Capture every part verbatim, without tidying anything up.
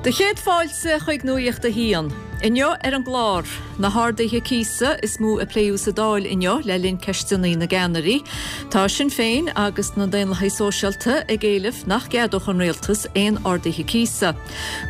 Do chéad fáilte chuig Nuacht a hAon. Inniu ar an gclár, na harduithe cíosa is mó a pléadh sa Dáil inniu le linn ceisteanna na gceannairí. Tá Sinn Féin agus na Daonlathaigh Sóisialta ag éileamh nach gceadódh an rialtas aon arduithe cíosa.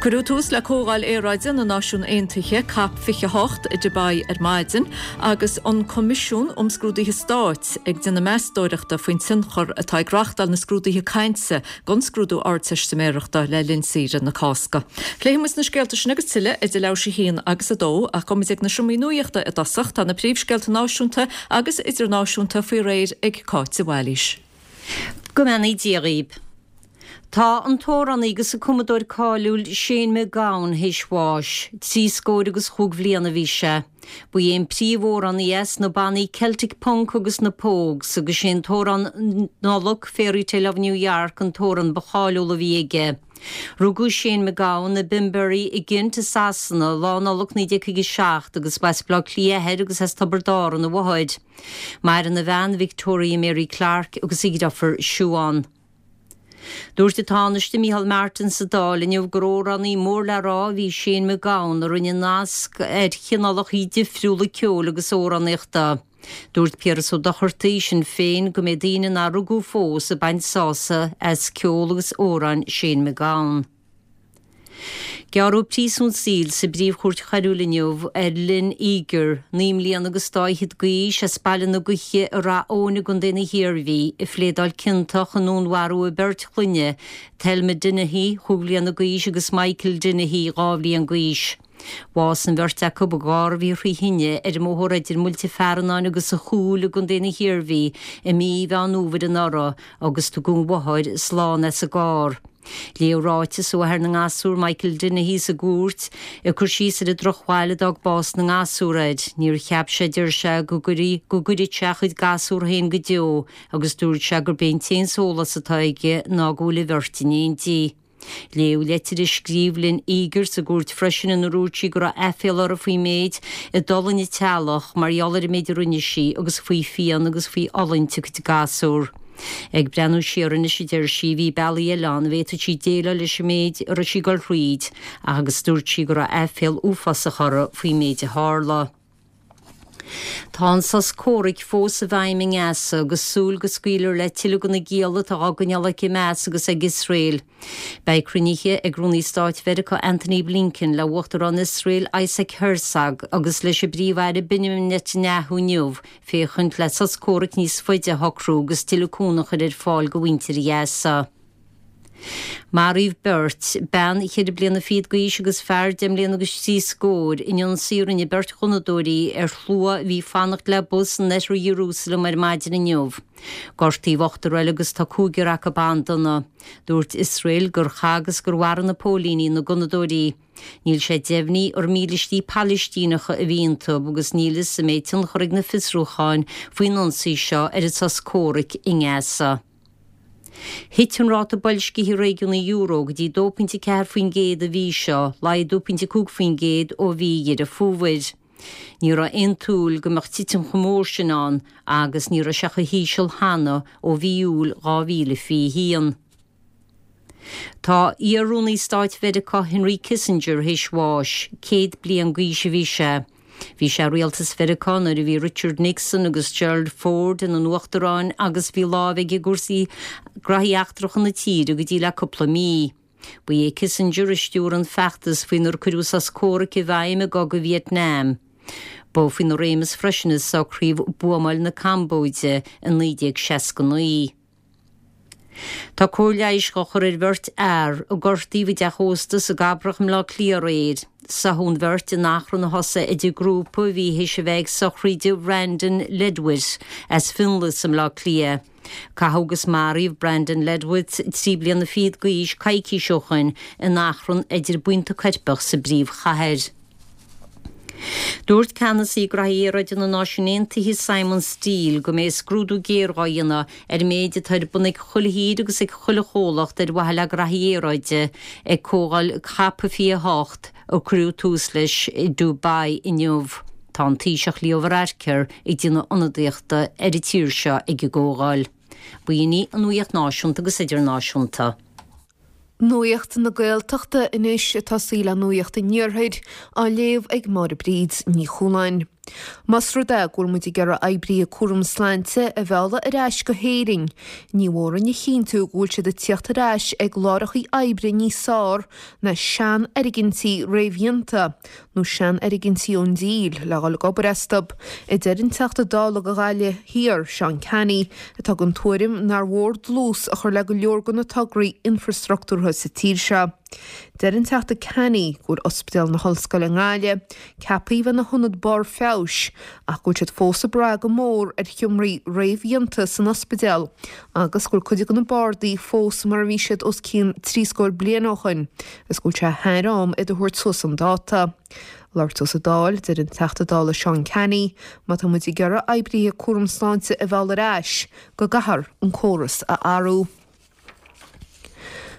Cuireadh tús le Comhdháil Aeráide na Náisiún Aontaithe COP fiche hocht i Dubai ar maidin agus an Coimisiún um Scrúduithe Stáit ag déanamh meastóireachta faoin tionchar atá ag reáchtáil na scrúduithe cainte don scrúdú ardteistiméireachta le linn saoire na Cásca. Pléifimid na scéalta sin agus tuilleadh idir leathuair théis a haon agus a dó ach gabhfaimid ag na seomraí nuachta i dtosach tá na príomhscéalta náisiúnta agus idirnáisiúnta faoi réir ag Cáit de Bhailís. Go mbeannaí Dia dhaoibh. Tá an t-amhránaí agus an cumadóir cáiliúil Shane MacGowan théis bháis, trí scór agus chúig bhliain a bhí sé. Ba é an príomhamhránaí é sna bannaí Celtic Punk agus na Pogues agus sé an t-amhrán Nollag Fairytale of New York an t-amhrán ba cháiliúla a bhí aige. Rugadh Shane MacGowan i Bimberi i gCent i Sasana lá Nollag naoi déag caoga seacht agus b'as Baile Átha Cliath a athair agus as Tiobraid Árann a mháthair. Maireann a bhean Victoria Mary Clarke agus a dheirfiúr Siobhán. Dúirt an Tánaiste Micheál Martin sa Dáil inniu gur amhránaí mór le rá a bhí Shane MacGowan a rinne nasc ar chineálacha difriúla ceoil agus amhránaíochta. Dúirt Piaras Ó Dochartaigh Sinn Féin go mbeidh daoine nár rugadh fós ag baint sásamh as ceol agus amhráin Shane MacGowan. Gearradh príosún saoil sa bPríomh-Chúirt Choiriúil inniu ar Lynn Eager, naoi mbliana agus dá fhichead d'aois as Baile na Gaoithe i Rath Eoin i gContae na hIarmhí, a phléadáil ciontach i ndúnmharú a beirt chlainne, Thelma Dennehy, chúig bhliana d'aois agus Michael Dennehy, dhá bhliain d'aois. Bhásaigh an bheirt acu i gcarr a bhí thrí thine ar an mbóthar idir Muilte Fearannáin agus an Chúil i gContae na hIarmhí i mí Mheán Fhómhair anuraidh agus tugadh an mháthair slán as an gcarr. Léadh ráiteas ó athair na ngasúr Michael Dennehy sa gcúirt ag cur síos ar an drochbhail a d'fhág bás na ngasúr air. Níor cheap sé deir sé go gcuirfidh go gcuirfeadh sé a chuid gasúr féin go deo agus dúirt sé gurb é an t-aon sólás atá aige ná go bhfuil an bheirt in éindí. Léadh leitir a scríobh Lynn Eager sa gcúirt freisin inar dhúirt sí go raibh aiféala uirthi faoin méid a d'fhulaing a teaghlach mar gheall ar an méid a rinne sí agus faoi phian agus faoi fhulaingt a cuid gasúr. Ag breathnú siar anois a deir sí, bhí bealaí eile ann a bhféadfadh sí déileáil leis an méid a raibh sí ag dul thríd ach agus dúirt sí go raibh aiféala uafásach uirthi faoin méid a tharla. Tá an sos comhraic fós i bhfeidhm i nGaza agus súil go scaoilfear le tuilleadh de na gialla atá á gcoinneáil ag Hamas agus ag Iosrael. Beidh cruinnithe ag Rúnaí Stáit Mheiriceá Antony Blinken le Uachtarán Iosrael Isaac Herzog agus leis an bPríomh-Aire Benjamin Netanyahu inniu féachaint le sos comhraic níos faide a shocrú agus tuilleadh cúnamh a chur ar fáil do mhuintir Ghaza. Maraíodh beirt, bean cheithre bliana fichead d'aois agus fear deich mbliana agus trí scór, in ionsaí a rinne beirt ghunnadóirí ar shlua a bhí ag fanacht le bus in oirthear Iarúsailéim ar maidin inniu. Gortaíodh ochtar eile agus tá cúigear acu an-dona. Dúirt Iosrael gur chaith agus gur mharaigh na póilíní na gunnadóirí. Níl sé deimhnithe ar mílístí Palaistíneacha a bhí iontu agus níl fhios an mbeidh tionchar ag na fiosrúcháin faoin ionsaí seo ar an sos comhraic i nGaza. Thit an ráta boilscithe réigiúnaí euro go dtí dó pointe ceathair faoin gcéad an mhí seo, laghdú pointe cúig faoin gcéad ó mhí Dheireadh Fómhair. Ní raibh aon tsúil go mbeadh titim chomh mór sin ann agus ní raibh sé chomh híseal cheana ó mhí Iúil dhá mhíle fiche haon. Tá iar-rúnaí stáit Mheiriceá Henry Kissinger théis bháis, céad bliain d'aois a bhí sé. Bhí sé i rialtas Mheiriceá nuair a bhí Richard Nixon agus Gerald Ford ina n-uachtaráin agus bhí lámh aige i gcúrsaí graithí eachtracha na tíre go dtí le cúpla mí. Ba é Kissinger a stiúir an feachtas faoinar cuireadh sos comhraic i bhfeidhm i gcogadh Vietnam. Ba faoina réimeas freisin a socraíodh buamáil na Cambóide i naoi déag seasca naoi. Tá cóir leighis á chur ar bheirt fhear a gortaíodh i dteach ósta sa gCabrach i mBleá Cliath aréir. Sáthadh an bheirt in achrann a thosaigh idir grúpa a bhí théis a bheith ag sochraid Brandon Ledwith as Fionnlagh i mBleá Cliath. Caitheadh agus maraíodh Brandon Ledwith trí bliana fichead d'aois coicís ó shin in achrann idir buíonta coirpeach sa bpríomhchathair. Dúirt ceannasaí Graithí Aeráide na Náisiún Aontaithe Simon Stiell go mbeidh scrúdú géar á dhéanamh ar an méid atá ar bun ag chuile thír agus ag chuile chomhlacht ar mhaithe le graithí aeráide ag comhdháil COP fiche a hocht a cuireadh tús leis i Dubai inniu. Tá an Taoiseach Leo Varadkar ag déanamh ionadaíochta ar an tír seo ag an gcomhdháil. B'in í an nuacht náisiúnta agus idirnáisiúnta. Nuacht na Gaeltachta anois ag tosaí le Nuacht an Iarthair á léamh ag Máire Bríd Ní Chualáin. Más rud é go bhfuil muid ag iarraidh oibrithe cúram sláinte a mhealladh ar ais go hÉirinn, ní mór dúinn a chinntiú go bhfuil siad ag tíocht ar ais ag láithreacha oibre níos fearr ná seanfhoirgintí réamhdhéanta nó seanfhoirgintí ón díl le dhul ag obair astu, a deir an Teachta Dála do Ghaillimh Thiar, Seán Canney, atá den tuairim nár mhór dlús a chur le go leor de na tograí infreastruchtúrtha sa tír seo. Deir an Teachta Canney go bhfuil Ospidéal na hOllscoile i nGaillimh ceaptha a bheith ina hionad barr feabhais ach go bhfuil siad fós ag brath go mór ar sheomraí réamhdhéanta san ospidéal agus go bhfuil cuid de na bardaí fós mar a bhí siad os cionn trí scór bliain ó shin agus go bhfuil sé thar am iad a thabhairt suas chun dáta. Labhairt dó sa Dáil, deir an Teachta Dála Seán Canney, má tá muid ag iarraidh oibrithe cúram sláinte a mhealladh ar ais go gcaithfear an córas a athrú.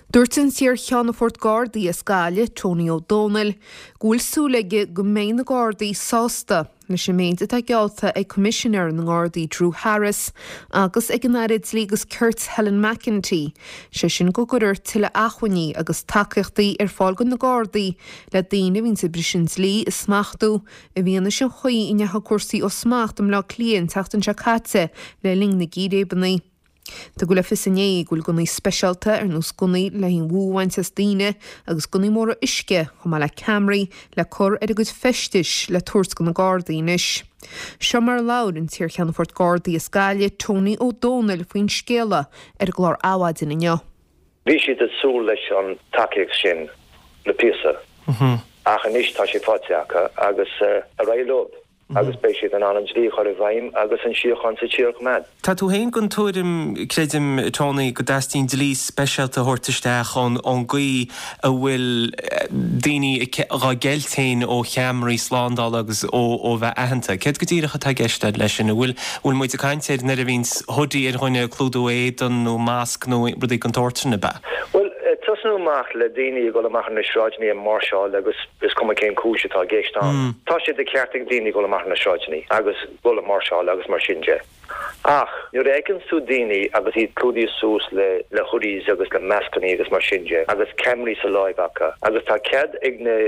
Dúirt an t-iar-cheannfort Gardaí as Gaillimh, Tony Ó Dónaill, go bhfuil súil aige go mbeidh na Gardaí sásta leis an méid atá geallta ag Coimisinéir na nGardaí Drew Harris agus ag an Aire Dlí agus Cirt Helen McEntee, sé sin go gcuirfear tuilleadh acmhainní agus tacaíochtaí ar fáil do na Gardaí le daoine a bhíonn ag briseadh an dlí a smachtú i bhfianaise an chaoi a ndeachaigh cúrsaí ó smacht i mBleá Cliath an tseachtain seo caite le linn na gcíréibeanna. Tugadh le fios inné go bhfuil gunnaí speisialta ar nós gunnaí le haghaidh an bhfuath a bhaint as daoine agus gunnaí móra uisce chomh maith le ceamaraí le cur ar a gcuid feistis le tabhairt do na Gardaí anois. Seo mar a labhair an t-iar-cheannfort Gardaí as Gaillimh, Tony Ó Dónaill faoin scéala ar an gclár Adhmhaidin inniu. Bhí siad ag súil leis an tacaíocht sin le píosa ach anois tá sé faighte acu agus ar aghaidh leo. agus beidh siad in ann an dlí a chur i bhfeidhm agus an síocháin sa tír a choimeád. Tá tú féin den tuairim, creidim, Tony, go dteastaíonn dlí speisialta a thabhairt isteach ón ón gcaoi a bhfuil daoine dhá gceilt féin ó cheamaraí slándála agus ó ó bheith aitheanta. Céard go díreach atá i gceist leis sin? An bhfuil bhfuil muid ag caint ar nuair a bhíonns hoodie ar dhuine ag clúdú éadan nó masc nó rudaí den tsórt sin, ab ea? Bhuel, tosnú amach le daoine ag dul amach ar na sráideanna ag máirseáil agus is cuma cén cúis atá i gceist ann. Tá sé de cheart ag daoine dul amach ar na sráideanna agus dul ag máirseáil agus mar sin de. Ach nuair a fheiceann tú daoine agus iad clúdaithe suas le le hoodies agus le mascannaí agus mar sin de agus ceamaraí sa láimh acu agus tá cead ag na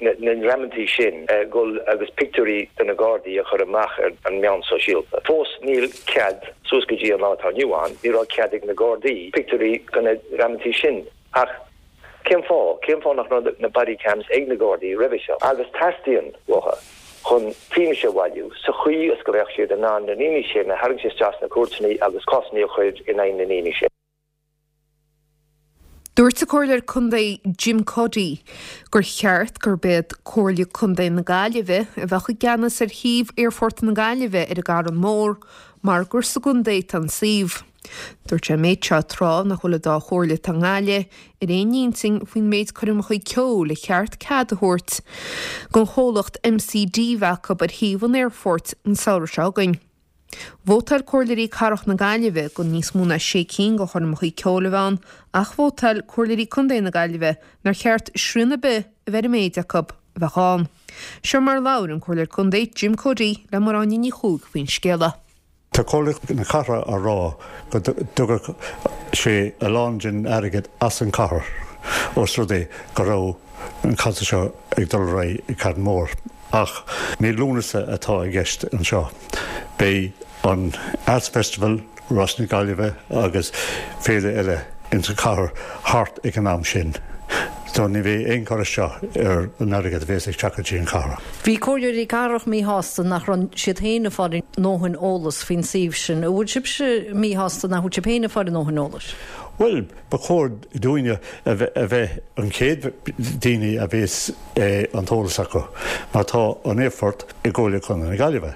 na ndreamantaí sin dul agus pictiúirí de na Gardaí a chur amach ar an meán sóisialta. Fós níl cead, suas go dtí an lá atá inniu ann, ní raibh cead ag na Gardaí pictiúirí de na dreamantaí sin. Ach cén fáth? Cén fáth nach raibh na body cams ag na Gardaí roimhe seo? Agus teastaíonn uathu chun fianaise a bhailiú sa chaoi is go mbeadh siad in ann na ndaoine sin a tharraingt isteach sna cúirteanna agus cásanna a chur in aghaidh na ndaoine sin. Dúirt an Comhairleoir Contae Jim Cuddy gur cheart gurb iad Comhairle Contae na Gaillimhe a bheadh i gceannas ar shuíomh Aerfort na Gaillimhe ar an gCarn Mór mar gur sa gcontae atá an suíomh. Dúirt sé an méid seo tráth nach bhfuil an dá chomhairle atá i nGaillimh ar aon intinn faoin méid coirmeacha ceoil a cheart cead a thabhairt don chomhlacht MCD bheith acu ar shuíomh an aerfoirt an samhradh seo chugainn. Vótáil Comhairleoirí Cathrach na Gaillimhe do níos mó ná sé cinn de choirmeacha ceoil a bheith ann ach vótáil Comhairleoirí Contae na Gaillimhe nár cheart srian ar bith a bheith ar an méid acu a bheadh ann. Seo mar a labhair an Comhairleoir Contae Jim Cuddy le Máire Áine Ní Chuaig faoin scéala. Tá Comhairle na Cathrach á rá go dtógfadh sé a lán den airgead as an chathair os rud é go raibh an concert seo ag dul ar aghaidh i Carn Mór. Ach mí Lúnasa atá i gceist anseo. Beidh an Arts Festival, Rás na Gaillimhe agus féile eile insa chathair thart ag an am sin. So ní bheidh aon chur isteach ar an airgead a bhéas ag teacht go dtí an chathair. Bhí comhairleoirí cathrach míshásta nach raibh siad féin ag fáil a ndóthain eolas faoin suíomh sin. An bhfuil sibhse míshásta nach bhfuil sibh féin ag fáil a ndóthain eolais? Bhuel, ba chóir dúinne a bheith an chéad daoine a bhéas an t-eolas acu, mar tá an aerfort i gComhairle Contae na Gaillimhe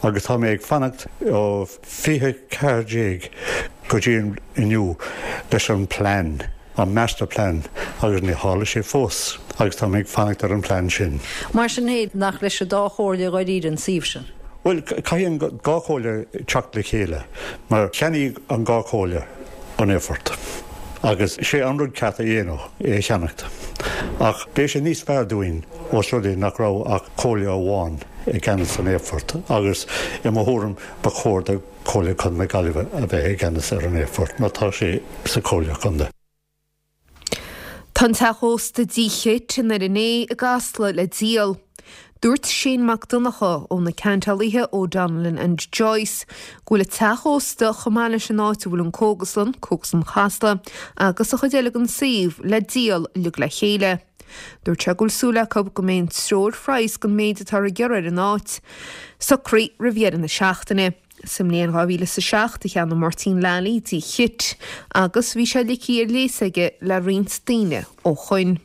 agus tá mé ag fanacht ó fiche ceathair déag go dtí inniu leis an plean, an master plan, agus ní tharla sé fós agus tá mé ag fanacht ar an plean sin. Mar sin féin, nach leis an dá chomhairle dháiríre an suíomh sin? Bhuel, caithfidh an dhá chomhairle teacht le chéile, mar cheannaigh an dhá chomhairle an aerfort agus sé an rud ceart a dhéanamh é a cheannacht. Ach beidh sé níos fearr dúinn ós rud é nach raibh ach comhairle amháin i gceannas an aerfort agus i mo thuairim ba chóir do Chomhairle Contae na Gaillimhe a bheith i gceannas ar an aerfort mar tá sé sa Chomhairle Contae. Tá an teach ósta D Chit in Doire Né i gCasla le díol. Dúirt Shane Mac Donncha ó na ceantálaithe O'Donnellan and Joyce go bhfuil an teach ósta chomh maith leis an áit a bhfuil an cógaslann, Cógaslann Chasla, agus a chuid eile den suíomh le díol uilig le chéile. Dúirt sé go bhfuil súil acu go mbeidh an treoirphraghas don méid atá ar iarraidh ar an áit socraithe roimh dheireadh na seachtaine. Sa mbliain dhá mhíle is a seacht a cheannaigh Máirtín Lally D Chit agus bhí sé ligthe ar léas aige le roinnt daoine ó shoin.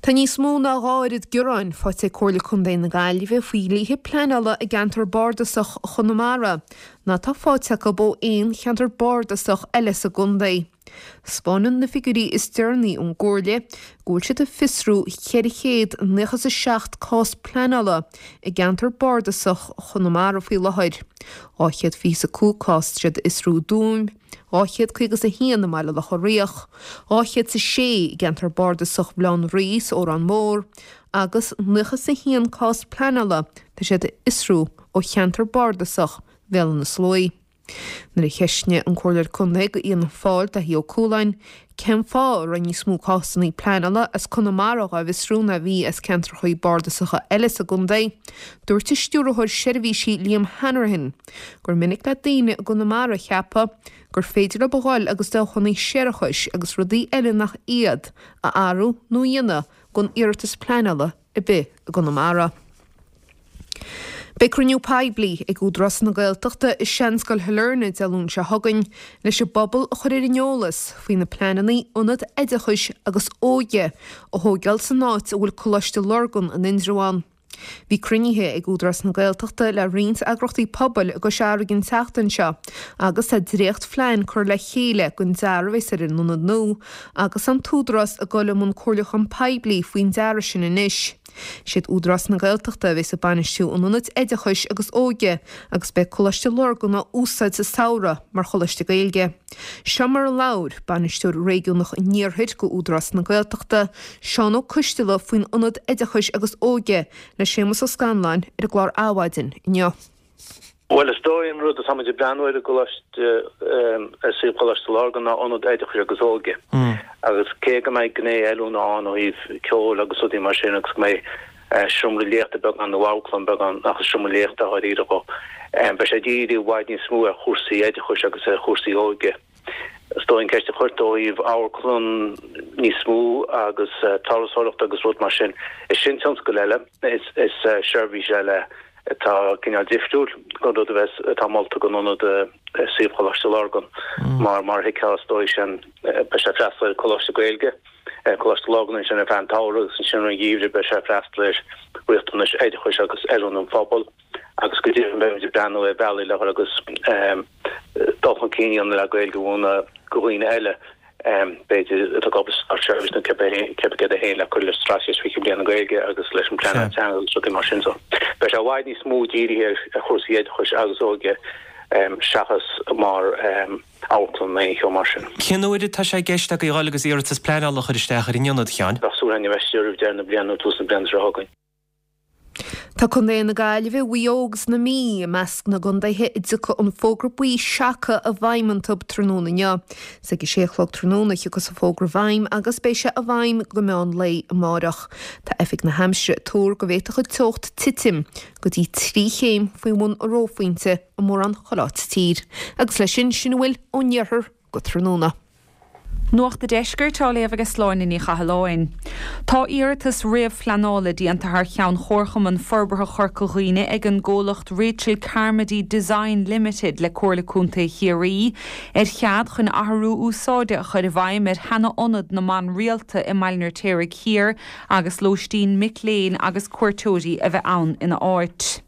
Tá níos mó ná dhá oiread gearáin faighte ag Comhairle Contae na Gaillimhe faoi dhlíthe pleanála i gceantar bardasach Chonamara ná atá faighte acu ó aon cheantar bardasach eile sa gcontae. Spáineann na figiúirí is deireanaí ón gComhairle go bhfuil siad ag fiosrú ceithre chéad nócha is a seacht cás pleanála i gceantar bardasach Chonamara faoi láthair, dhá chéad fiche is a cúig cás tá siad a fhiosrú i dTuaim, dhá chéad caoga is a haon i mBaile Locha Riach, dhá chéad is a sé i gceantar bardasach Bhaile Átha an Rí sa Órán Mór agus nócha is a haon cás pleanála tá siad a fhiosrú ó cheantar bardasach Bhéal Átha na Sluaighe. Nuair a cheistnigh an Comhairleoir Contae do Fhianna Fáil, Daithí Ó Cualáin, cén fáth a raibh níos mó cásanna pleanála as Conamara dhá bhfiosrú ná a bhí as ceantracha bardasacha eile sa gcontae, dúirt a Stiúrthóir Seirbhísí Liam Hanrahan gur minic le daoine i gConamara a cheapadh gur féidir leo a ghoil agus deochanna séarachais agus rudaí eile nach iad a athrú nó a dhéanamh gan iarratas pleanála ar bith i gConamara. Beidh cruinniú poiblí ag Údarás na Gaeltachta i Seanscoil Shailearna Dé Luain seo chugainn leis an bpobal a chur ar an eolas faoi na pleananna ionad oideachais agus óige a thógáil san áit a bhfuil Coláiste Lurgan in Indreabhán. Bhí cruinnithe ag Údarás na Gaeltachta le roinnt eagraíochtaí pobail i gCois Fharraige an tseachtain seo agus tá dréachtphlean curtha le chéile don dearadh a bheas ar an ionad nua agus an tÚdarás ag dul i mbun comhairliúchán poiblí faoin dearadh sin anois. Siad Údarás na Gaeltachta a bheas ag bainistiú an ionaid oideachais agus óige agus beidh Coláiste Lurgan á úsáid sa samhradh mar choláiste Gaeilge. Seo mar a labhair Bainisteoir Réigiúnach an Iarthair do Údarás na Gaeltachta, Seán Ó Coisteala faoin ionad oideachais agus óige le Séamus Ó Scanláin ar an gclár Adhmhaidin inniu. Bhuel, is dóigh an rud atá muid ag breathnú air i gColáiste, ar suíomh Choláiste Lurgan ná ionad oideachais agus óige. Agus cé go mbeidh gné oiliúna ann ó thaobh ceoil agus rudaí mar sin agus go mbeidh seomra léachta beag ann nó amharclann beag ann, ach is seomra léachta dháiríre dhó, beidh sé dírithe i bhfad níos mó ar chúrsaí oideachais agus ar chúrsaí óige. Is dóigh an ceist a chuir tú ó thaobh amharclann níos mó agus turasóireacht agus rud mar sin, is sin tionscal eile, is seirbhís eile atá cineál difriúil don rud a bheas, atá molta don ionad i suíomh Choláiste Lurgan. Mar, mar a thuigfeá, is dóigh sin, beidh sé ag freastal ar Choláiste Gaeilge, Coláiste Lurgan ansin ar feadh an tsamhraidh agus ansin an gheimhridh beidh sé ag freastal ar riachtanais oideachais agus oiliúna an phobail agus go deimhin beimid ag breathnú ar bhealaí le agus dul chun cinn a dhéanamh le Gaeilge a mhúineadh do dhaoine eile. b'fhéidir, atá ag obair sa státseirbhís nó cibé céard é féin le cur le Straitéis Fiche Bliain na Gaeilge agus leis an bpleanáil teanga agus rudaí mar sin. So, beidh sé i bhfad níos mó dírithe ar chúrsaí oideachais agus óige seachas mar amharclann nó aon cheo mar sin. Cén uair atá sé i gceist agaibh a dhul agus iarratas pleanála a chur isteach ar an ionad, a Sheáin? Bheadh súil againn a bheith istigh roimh deireadh na bliana nó tús na bliana seo chugainn. Tá Contae na Gaillimhe, Mhaigh Eo agus na Mí i measc na gcontaetha a dtiocfaidh an fógra buí seaca i bhfeidhm iontu tráthnóna inniu. Is ag a sé a chlog tráthnóna a thiocfas an fógra i bhfeidhm agus beidh sé i bhfeidhm go meán lae amárach. Tá Oifig na hAimsire ag tuar go bhféadfadh an teocht titim go dtí trí chéim faoi bhun an reophointe i mórán chuile áit sa tír. Agus leis sin, sin a bhfuil ón iarthar go tráthnóna. Nuacht a' Deiscirt á léamh ag Sláine Ní Chathalláin. Tá iarratas réamhphleanála déanta thar cheann Chomharchumann Forbartha Chorca Dhuibhne ag an gcomhlacht Rachel Carmody Design Limited le Comhairle Contae Chiarraí ar chead chun athrú úsáide a chur i bhfeidhm ar sheana-ionad na mban rialta i mBaile an Fheirtéaraigh Thiar agus lóistín mic léinn agus cuairteoirí a bheith ann ina áit.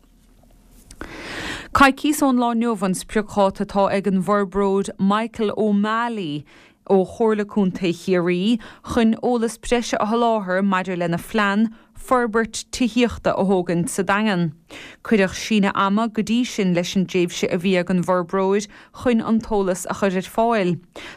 Coicíos ón lá inniu an spriocdháta atá ag an bhforbróir Michael O'Malley ó Chomhairle Contae Chiarraí chun eolas breise a sholáthar maidir lena phlean forbairt tithíochta a thógaint sa Daingean. Cuireadh síneadh ama go dtí sin leis an dtréimhse a bhí ag an bhforbróir chun an t-eolas a chur ar fáil.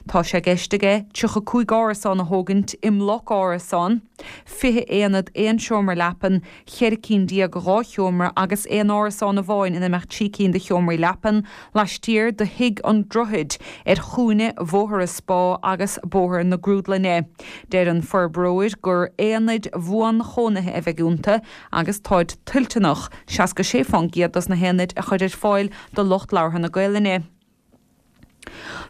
Tá sé i gceist aige tríocha cúig árasán a thógaint i mbloc árasán, fiche aonad aon seomra leapan, cheithre cinn déag dhá sheomra agus aon árasán amháin ina mbeadh trí cinn de sheomraí leapan, laistiar de Thigh an Droichid ar chúinne Bhóthar an Spá agus Bóthar na Grúdlainne. Deir an forbróir gur aonaid bhuanchónaithe a bheidh iontu agus táid toilteanach seasca sé faoin gcéad dos na haonaid a chur ar fáil do lucht labhartha na Gaelainne.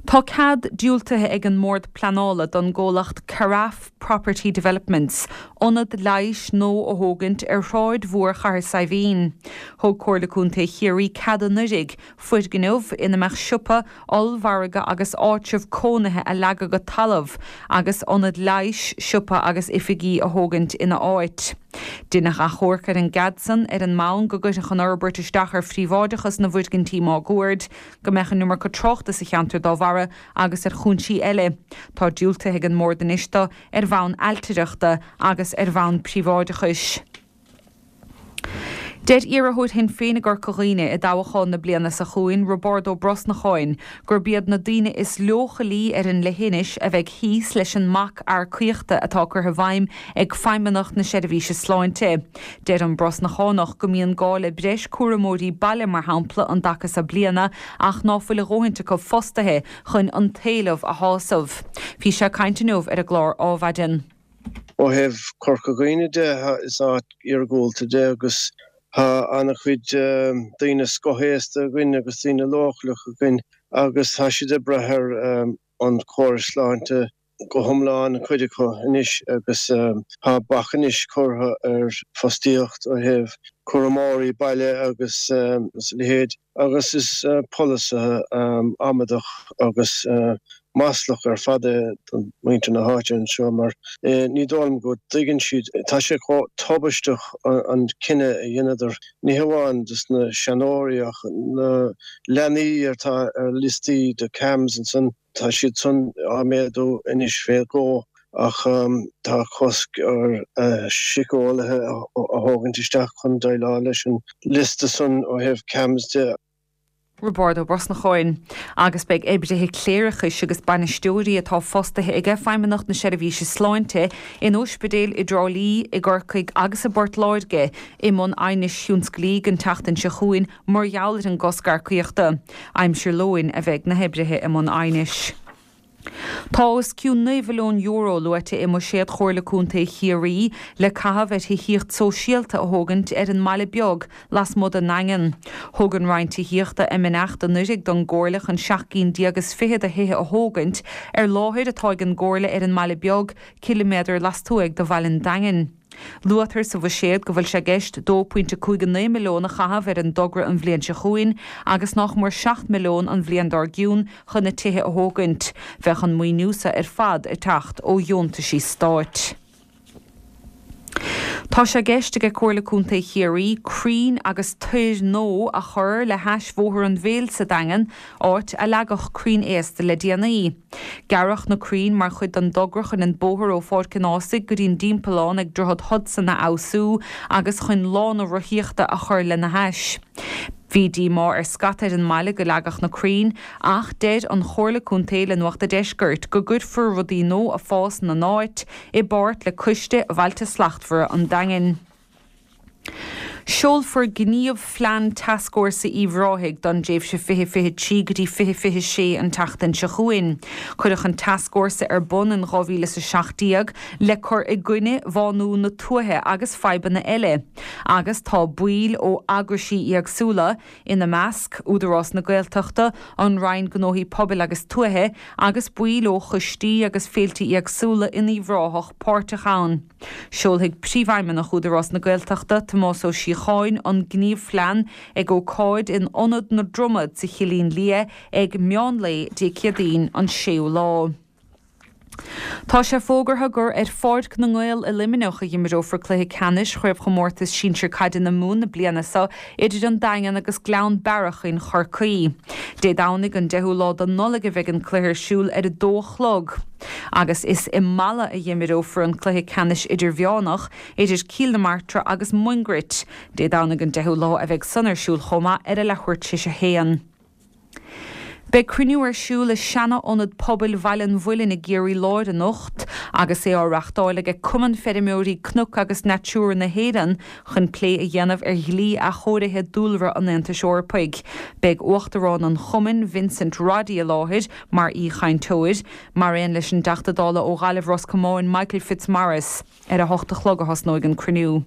Tá cead diúltaithe ag an mBord Pleanála don gcomhlacht Carafe Property Developments ionad leighis nua a thógaint ar Shráid Mhór Chathair Saidhbhín. Thug Comhairle Contae Chiarraí cead anuraidh foirgneamh ina mbeadh siopa, ollmhargadh agus áitreabh cónaithe a leagadh go talamh agus ionad leighis, siopa agus oifigí a thógaint ina áit. Deineadh achomharc ar an gcead san ar an mbonn go gcuirfeadh an fhorbairt isteach ar phríobháideachas na bhfoirgintí máguaird, go mbeadh an iomarca tráchta sa cheantar dá bharra agus ar chúinsí eile. Tá diúltaithe ag an mBord anois dó ar bhonn ailtireachta agus ar bhonn príobháideachais. Deir iarrthóir Shinn Féin i gCorca Dhuibhne i dtoghchán na bliana seo chugainn, Roibeárd Ó Brosnacháin, gurb iad na daoine is leochailí ar an leithinis a bheidh thíos leis an mbac earcaíochta atá curtha i bhfeidhm ag Feidhmeannacht na Seirbhíse Sláinte. Deir an Brosnachánach go mbíonn gá le breis cúramóirí baile mar shampla an dtaca seo bliana ach ná fuil a dhóthaint acu fostaithe chun an t-éileamh a shásamh. Bhí sé ag caint inniu ar an gclár Ádhmhaidin. Ó thaobh Corca Dhuibhne de, is áit iargúlta de agus tá an-chuid daoine scothaosta againn agus daoine leochaileach againn agus tá siad ag brath ar an chóras sláinte go hiomlán, cuid acu anois, agus tá bac anois curtha ar fostaíocht ó thaobh cúramóirí baile agus a leithéid agus is polasaithe amadach agus maslach ar fad é do mhuintir na háite anseo mar ní dóigh liom go dtuigeann siad, tá sé chomh tubaisteach an cinneadh a dheineadar, ní hamháin dos na seanóirí ach na leanaí atá ar liostaí do CAMHS ansan, tá siad san á méadú anois fé dhó ach tá cosc ar síceolaithe a thógaint isteach chun déileáil leis an liosta san ó thaobh CAMHS de. Roibeárd Ó Brosnacháin, agus beidh oibrithe cléireachais agus bainisteoirí atá fostaithe ag Feidhmeannacht na Seirbhíse Sláinte in ospidéil i dTrá Lí, i gCorcaigh agus i bPort Láirge i mbun aighnis thionsclaígh an tseachtain seo chugainn mar gheall ar an gcosc earcaíochta. Aimsir lóin a bheidh na hoibrithe i mbun aighnis. Tá os cionn naoi mhilliún euro luaite i mbuiséad Chomhairle Contae Chiarraí le caitheamh ar thithíocht sóisialta a thógaint ar an mBaile Beag lasmuigh den nDaingean. Thug an Roinn Tithíochta a mbeannacht anuraidh don gComhairle chun seacht gcinn déag is fiche de thithe a thógaint ar láthair atá ag an gComhairle ar an mBaile Beag, ciliméadar lastuaidh de bhaile an Daingin. Luaitear sa bhuiséad go bhfuil sé i gceist dó pointe cúig a naoi milliún a chaitheamh ar an dtogra an bhliain seo chugainn agus nach mór seacht milliún an bhliain dár gcionn chun na tithe a thógaint. Bheadh an maoiniú seo ar fad ag teacht ó dheontaisí stáit. Tá sé i gceist ag Comhairle Contae Chiarraí crainn agus toir nua a chur le hais Bhóthar an Mhéil sa Daingean, áit a leagadh crainn aosta le déanaí. Gearradh na crainn mar chuid den dtogra chun an bóthar ó Pháirc an Ághasaigh go dtí an dtimpeallán ag Droichead Hudson a fheabhsú agus chun lána rothaíochta a chur lena hais. Bhí díomá ar scata ar an mbaile go leagadh na crainn ach deir an Chomhairle Contae le Nuacht a' Deiscirt go gcuirfear rudaí nua ag fás ina n-áit i bpáirt le Coiste Bhailte Slachtmhara an Daingin. Seolfar Gníomhphlean Tascfhórsa Uíbh Ráthaigh don dtréimhse fiche fiche trí go dtí fiche fiche sé an tseachtain seo chugainn. Cuireadh an tascfhórsa ar bun in dhá mhíle is a seacht déag le cur i gcoinne bhánú na tuaithe agus fadhbanna eile agus tá baill ó eagraisí éagsúla, ina measc, Údarás na Gaeltachta, an Roinn Gnóthaí Pobail agus Tuaithe agus baill ó choistí agus féilte éagsúla in Uíbh Ráthach páirteach ann. Seolfaidh Príomhfheidhmeannach Údarás na Gaeltachta, Tomás Ó Síocháin, an gníomhphlean ag ócáid in Ionad na Dromad sa Chillín Liath ag meán lae Dé Céadaoin an séú lá. Tá sé fógartha gur ar Pháirc na nGael i Luimneach a imreofar cluiche ceannais Chraobhchomórtas Sinsir Caide na Mumhan na bliana seo idir an Daingean agus Gleann Bearach in Chorcaí. Dé Domhnaigh an deichiú lá de Nollaig a bheidh an cluiche ar siúl ar a dó a chlog. Agus is i Mala a imreofar an cluiche ceannais idirmheánach idir Cill na Martra agus Mungairit. Dé Domhnaigh an deichiú lá a bheidh san ar siúl chomh maith ar a leathuair tar éis a haon. Beidh cruinniú ar siúl i seana-ionad pobail Bhaile an Mhuilinn i gCiarraí Láir anocht agus é á reachtáil ag Cumann Feirmeoirí Cnoc agus Natura na hÉireann chun plé a dhéanamh ar dhlí athchóirithe dúlra an Aontais Eorpaigh. Beidh Uachtarán an Chumainn Vincent Roddy i láthair mar aoichainteoir, mar aon leis an dTeachta Dála ó Ghaillimh Ros Comáin Michael Fitzmaurice. Ar a hocht a chlog a thosnóidh an cruinniú.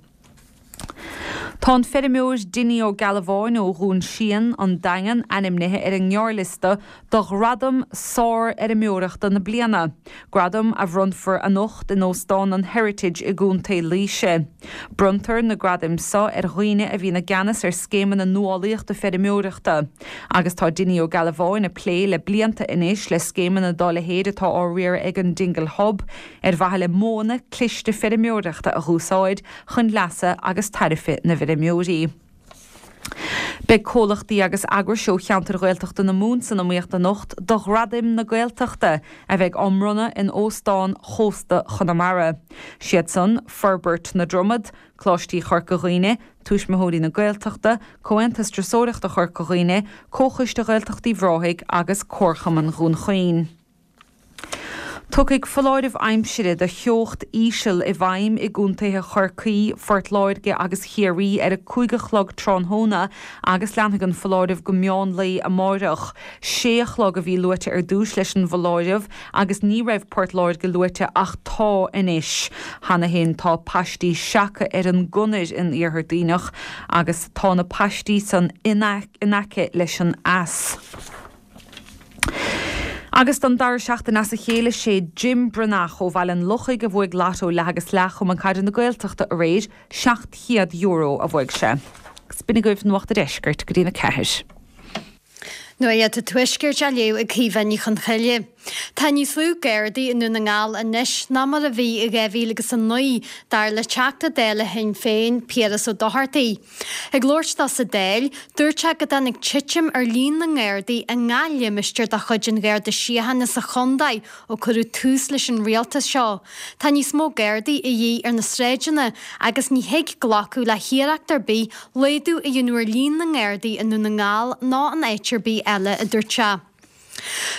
Tá an feirmeoir Dinny Ó Gealbháin ó Dhún Síon, An Daingean, ainmnithe ar an ngearrliosta do Ghradam Sárfheirmeoireachta na Bliana, gradam a bhronnfar anocht in Óstán an Heritage i gContae Laoise. Bronntar na gradaim seo ar dhaoine a bhíonn i gceannas ar scéimeanna nuálaíochta feirmeoireachta, agus tá Dinny Ó Gealbháin ag plé le blianta anois le scéimeanna dá leithéid atá á riaradh ag an Dingle Hub ar mhaithe le modhanna cliste feirmeoireachta a dh'úsáid chun leasa agus tairbhe na bhfeirmeoirí. Beidh comhlachtaí agus eagrais ó cheantair Ghaeltachta na Mumhan san iomaíocht anocht do Ghradaim na Gaeltachta a bheidh á mbronnadh in Óstán Chósta Chonamara. Siad san, Forbairt na Dromad, Coláistí Chorca Dhuibhne, Tuismitheoirí na Gaeltachta, Comhaontas Turasóireachta Chorca Dhuibhne, Comhchoiste Ghaeltacht Uíbh Ráthaigh agus Comharchumann Dhún Chaoin. Tiocfaidh foláireamh aimsire do theocht íseal i bhfeidhm i gcontaetha Chorcaí, Phort Láirge agus Chiarraí ar a cúig a chlog tráthnóna agus leanfaidh an foláireamh go meán lae amáireach. Sé a chlog a bhí luaite ar dtús leis an bhfoláireamh agus ní raibh Port Láirge luaite ach tá anois. Cheana féin tá paistí seaca ar an gconair in Iarthar Duibhneach agus tá na paistí san in aice leis an eas. Agus don dara seachtain as a chéile sé Jim Breathnach ó Bhaile an Lochaigh a bhuaigh Lotto leath agus leath Chumann Caide na Gaeltachta aréir, seacht chéad euro a bhuaigh sé. Agus b'in agaibh Nuacht a' Deiscirt go dtí'n a ceathair. Nuacht an Tuaiscirt á léamh ag Caoimhe Ní Chonchoille. Tá níos lú Gardaí i nDún na nGall anois ná mar a bhí i dhá mhíle agus a naoi, dar le Teachta Dála Shinn Féin, Piaras Ó Dochartaigh. Ag labhairt dó sa Dáil, dúirt sé go dtáinig titim ar líon na nGardaí i ngach limistéar de chuid an Gharda Síochána sa chontae ó cuireadh tús leis an rialtas seo. Tá níos mó Gardaí a dhíth ar na sráideanna agus ní thig glacadh le hiarracht ar bith laghdú a dhéanamh ar líon na nGardaí i nDún na nGall ná in áit ar bith eile, a dúirt sé.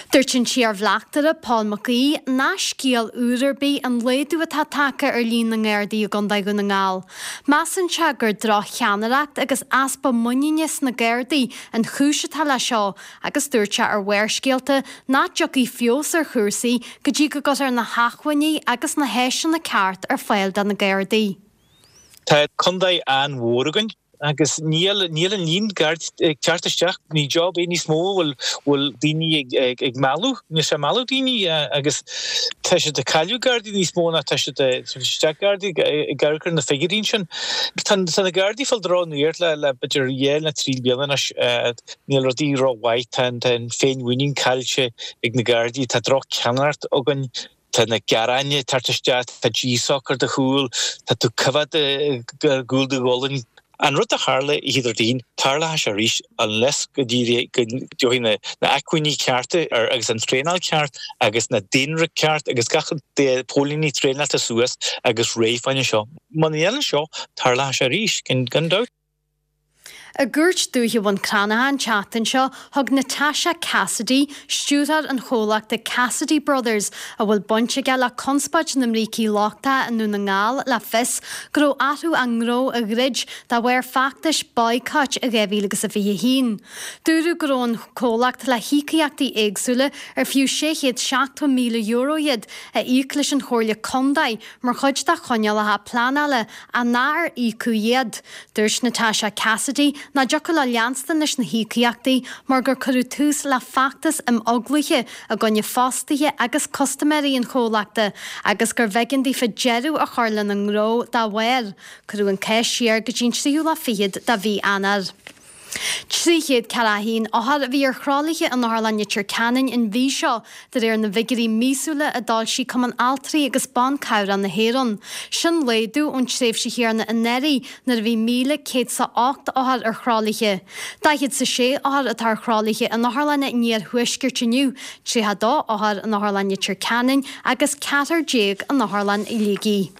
Dúirt an t-iarbhleachtaire Paul Mac Aoidh nach scéal úr ar bith an laghdú atá tagtha ar líon na nGardaí i gContae Dhún na nGall. Measann sé gur droch-cheannaireacht agus easpa muiníne sna Gardaí an chúis atá leis seo agus dúirt sé ar Bharrscéalta nach dtiocfaidh feabhas ar chúrsaí go dtí go gcuirfear na hacmhainní agus na háiseanna ceart ar fáil do na Gardaí. Tá contae an-mhór againn agus níl níl an líon Gardaí ag teacht isteach, ní job é níos mó bhfuil bhfuil daoine ag ag ag mealladh, níl sé ag mealladh daoine agus tá siad ag cailleadh Gardaí níos mó ná tá siad ag tabhairt isteach Gardaí ag amharc ar na figiúirí ansin. Tá tá na Gardaí ag fáil droch-nuacht le le b'fhéidir dhá nó trí bliana anois, níl rudaí rómhaith, tá an tá an féinmhuinín caillte ag na Gardaí, tá droch-cheannaireacht againn. Tá na gearáin ag teacht isteach, tá díshoc ar do chúl, tá tú coimhead ar gcúl do ghualainn. An rud a tharla oíche Déardaoin, tarlóidh sé arís unless go dtiocfaidh na acmhainní cearta agus an traenáil ceart agus na daonra ceart agus gach póilíní traenáilte suas agus réidh fá choinne seo. Muna ndéanann seo, tarlóidh sé arís, gan dabht. I gCúirt Dúiche Bhun Cranncha an tseachtain seo, thug Natasha Cassidy, stiúrthóir an chomhlachta Cassidy Brothers, a bhfuil baint aige le conspóid na mbrící lochtacha i nDún na nGall, le fios go raibh orthu a ngnó a dhruid de bharr feachtais boycott i dhá mhíle agus a fiche a haon. Dúradh go raibh an comhlacht le híocaíochtaí éagsúla ar fiú sé chéad seachtó míle euro iad a íoc leis an Chomhairle Contae mar chuid de choinníollacha pleanála ach nár íocadh iad. Dúirt Natasha Cassidy nach dtiocfadh leo leanstan leis na híocaíochtaí mar gur cuireadh tús le feachtas imeaglaithe i gcoinne fostaithe agus custaiméirí an chomhlachta agus gurbh éigean daofa deireadh a chur lena ngnó dá bharr. Cuireadh an cás siar go dtí an tríú lá fichead de mhí Eanáir. Trí chéad ceathracha a haon othar a bhí ar thralaithe in Otharlann Leitir Ceanainn an mhí seo, de réir na bhfigiúirí míosúla a d'fhoilsigh Cumann Altraí agus Ban Cabhrach na hÉireann. Sin laghdú ón tréimhse chéanna anuraidh nuair a bhí míle céad 's a ocht othar ar thralaithe. Daichead 's a sé othar atá ar thralaithe in otharlanna an iarthuaiscirt inniu, tríocha dó othar in Otharlann Leitir Ceanainn agus ceathrar déag in Otharlann Shligigh.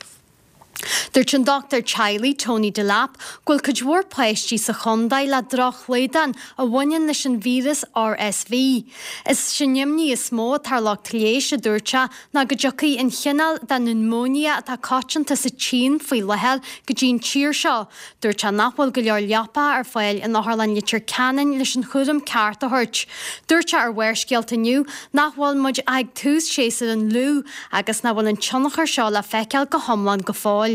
Dúirt an dochtúir teaghlaigh Tony Delap go bhfuil cuid mhór páistí sa chontae le drochshlaghdán a bhaineann leis an víreas RSV. Is í an imní is mó atá ar lucht leighis, a dúirt sé, ná go dtiocfaidh an chineál de niúmóinia atá coitianta sa tSín faoi láthair go dtí an tír seo. Dúirt sé nach bhfuil go leor leapacha ar fáil in Otharlann Leitir Ceanainn leis an chúram ceart a thabhairt. Dúirt sé ar Bharrscéalta inniu nach bhfuil muid ach ag tús séasúr an fhliú agus nach bhfuil an tionchar seo le feiceáil go hiomlán go fóill.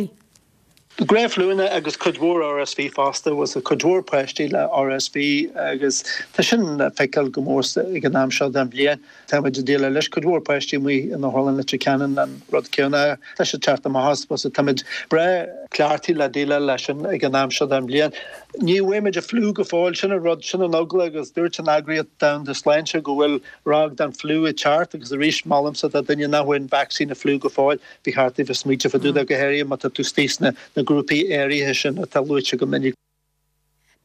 Gnáthfhliúnna agus cuid mhór RSV fosta, was cuid mhór páistí le RSV agus tá sin le feiceáil go mór ag an am seo den bhliain. Tá muid ag déileáil leis cuid mhór páistí amuigh in Otharlann Leitir Ceanainn an rud céanna. Tá sé teacht amach as was táimid breá cleachtaithe le déileáil leis sin ag an am seo den bhliain. Ní bhfuair an fliú go fóill sin an rud sin an eagla agus dúirt an Eagraíocht Domhanda Sláinte go bhfuil ráig den fliú ag teacht agus arís molaimse do dhuine nach bhfuil an vacsaín an fliú go fóill ba cheart daoibh smaoineamh fá dtaobh de go háirithe má tá tú istigh sna na grúpaí áirithe sin atá luaite go minic.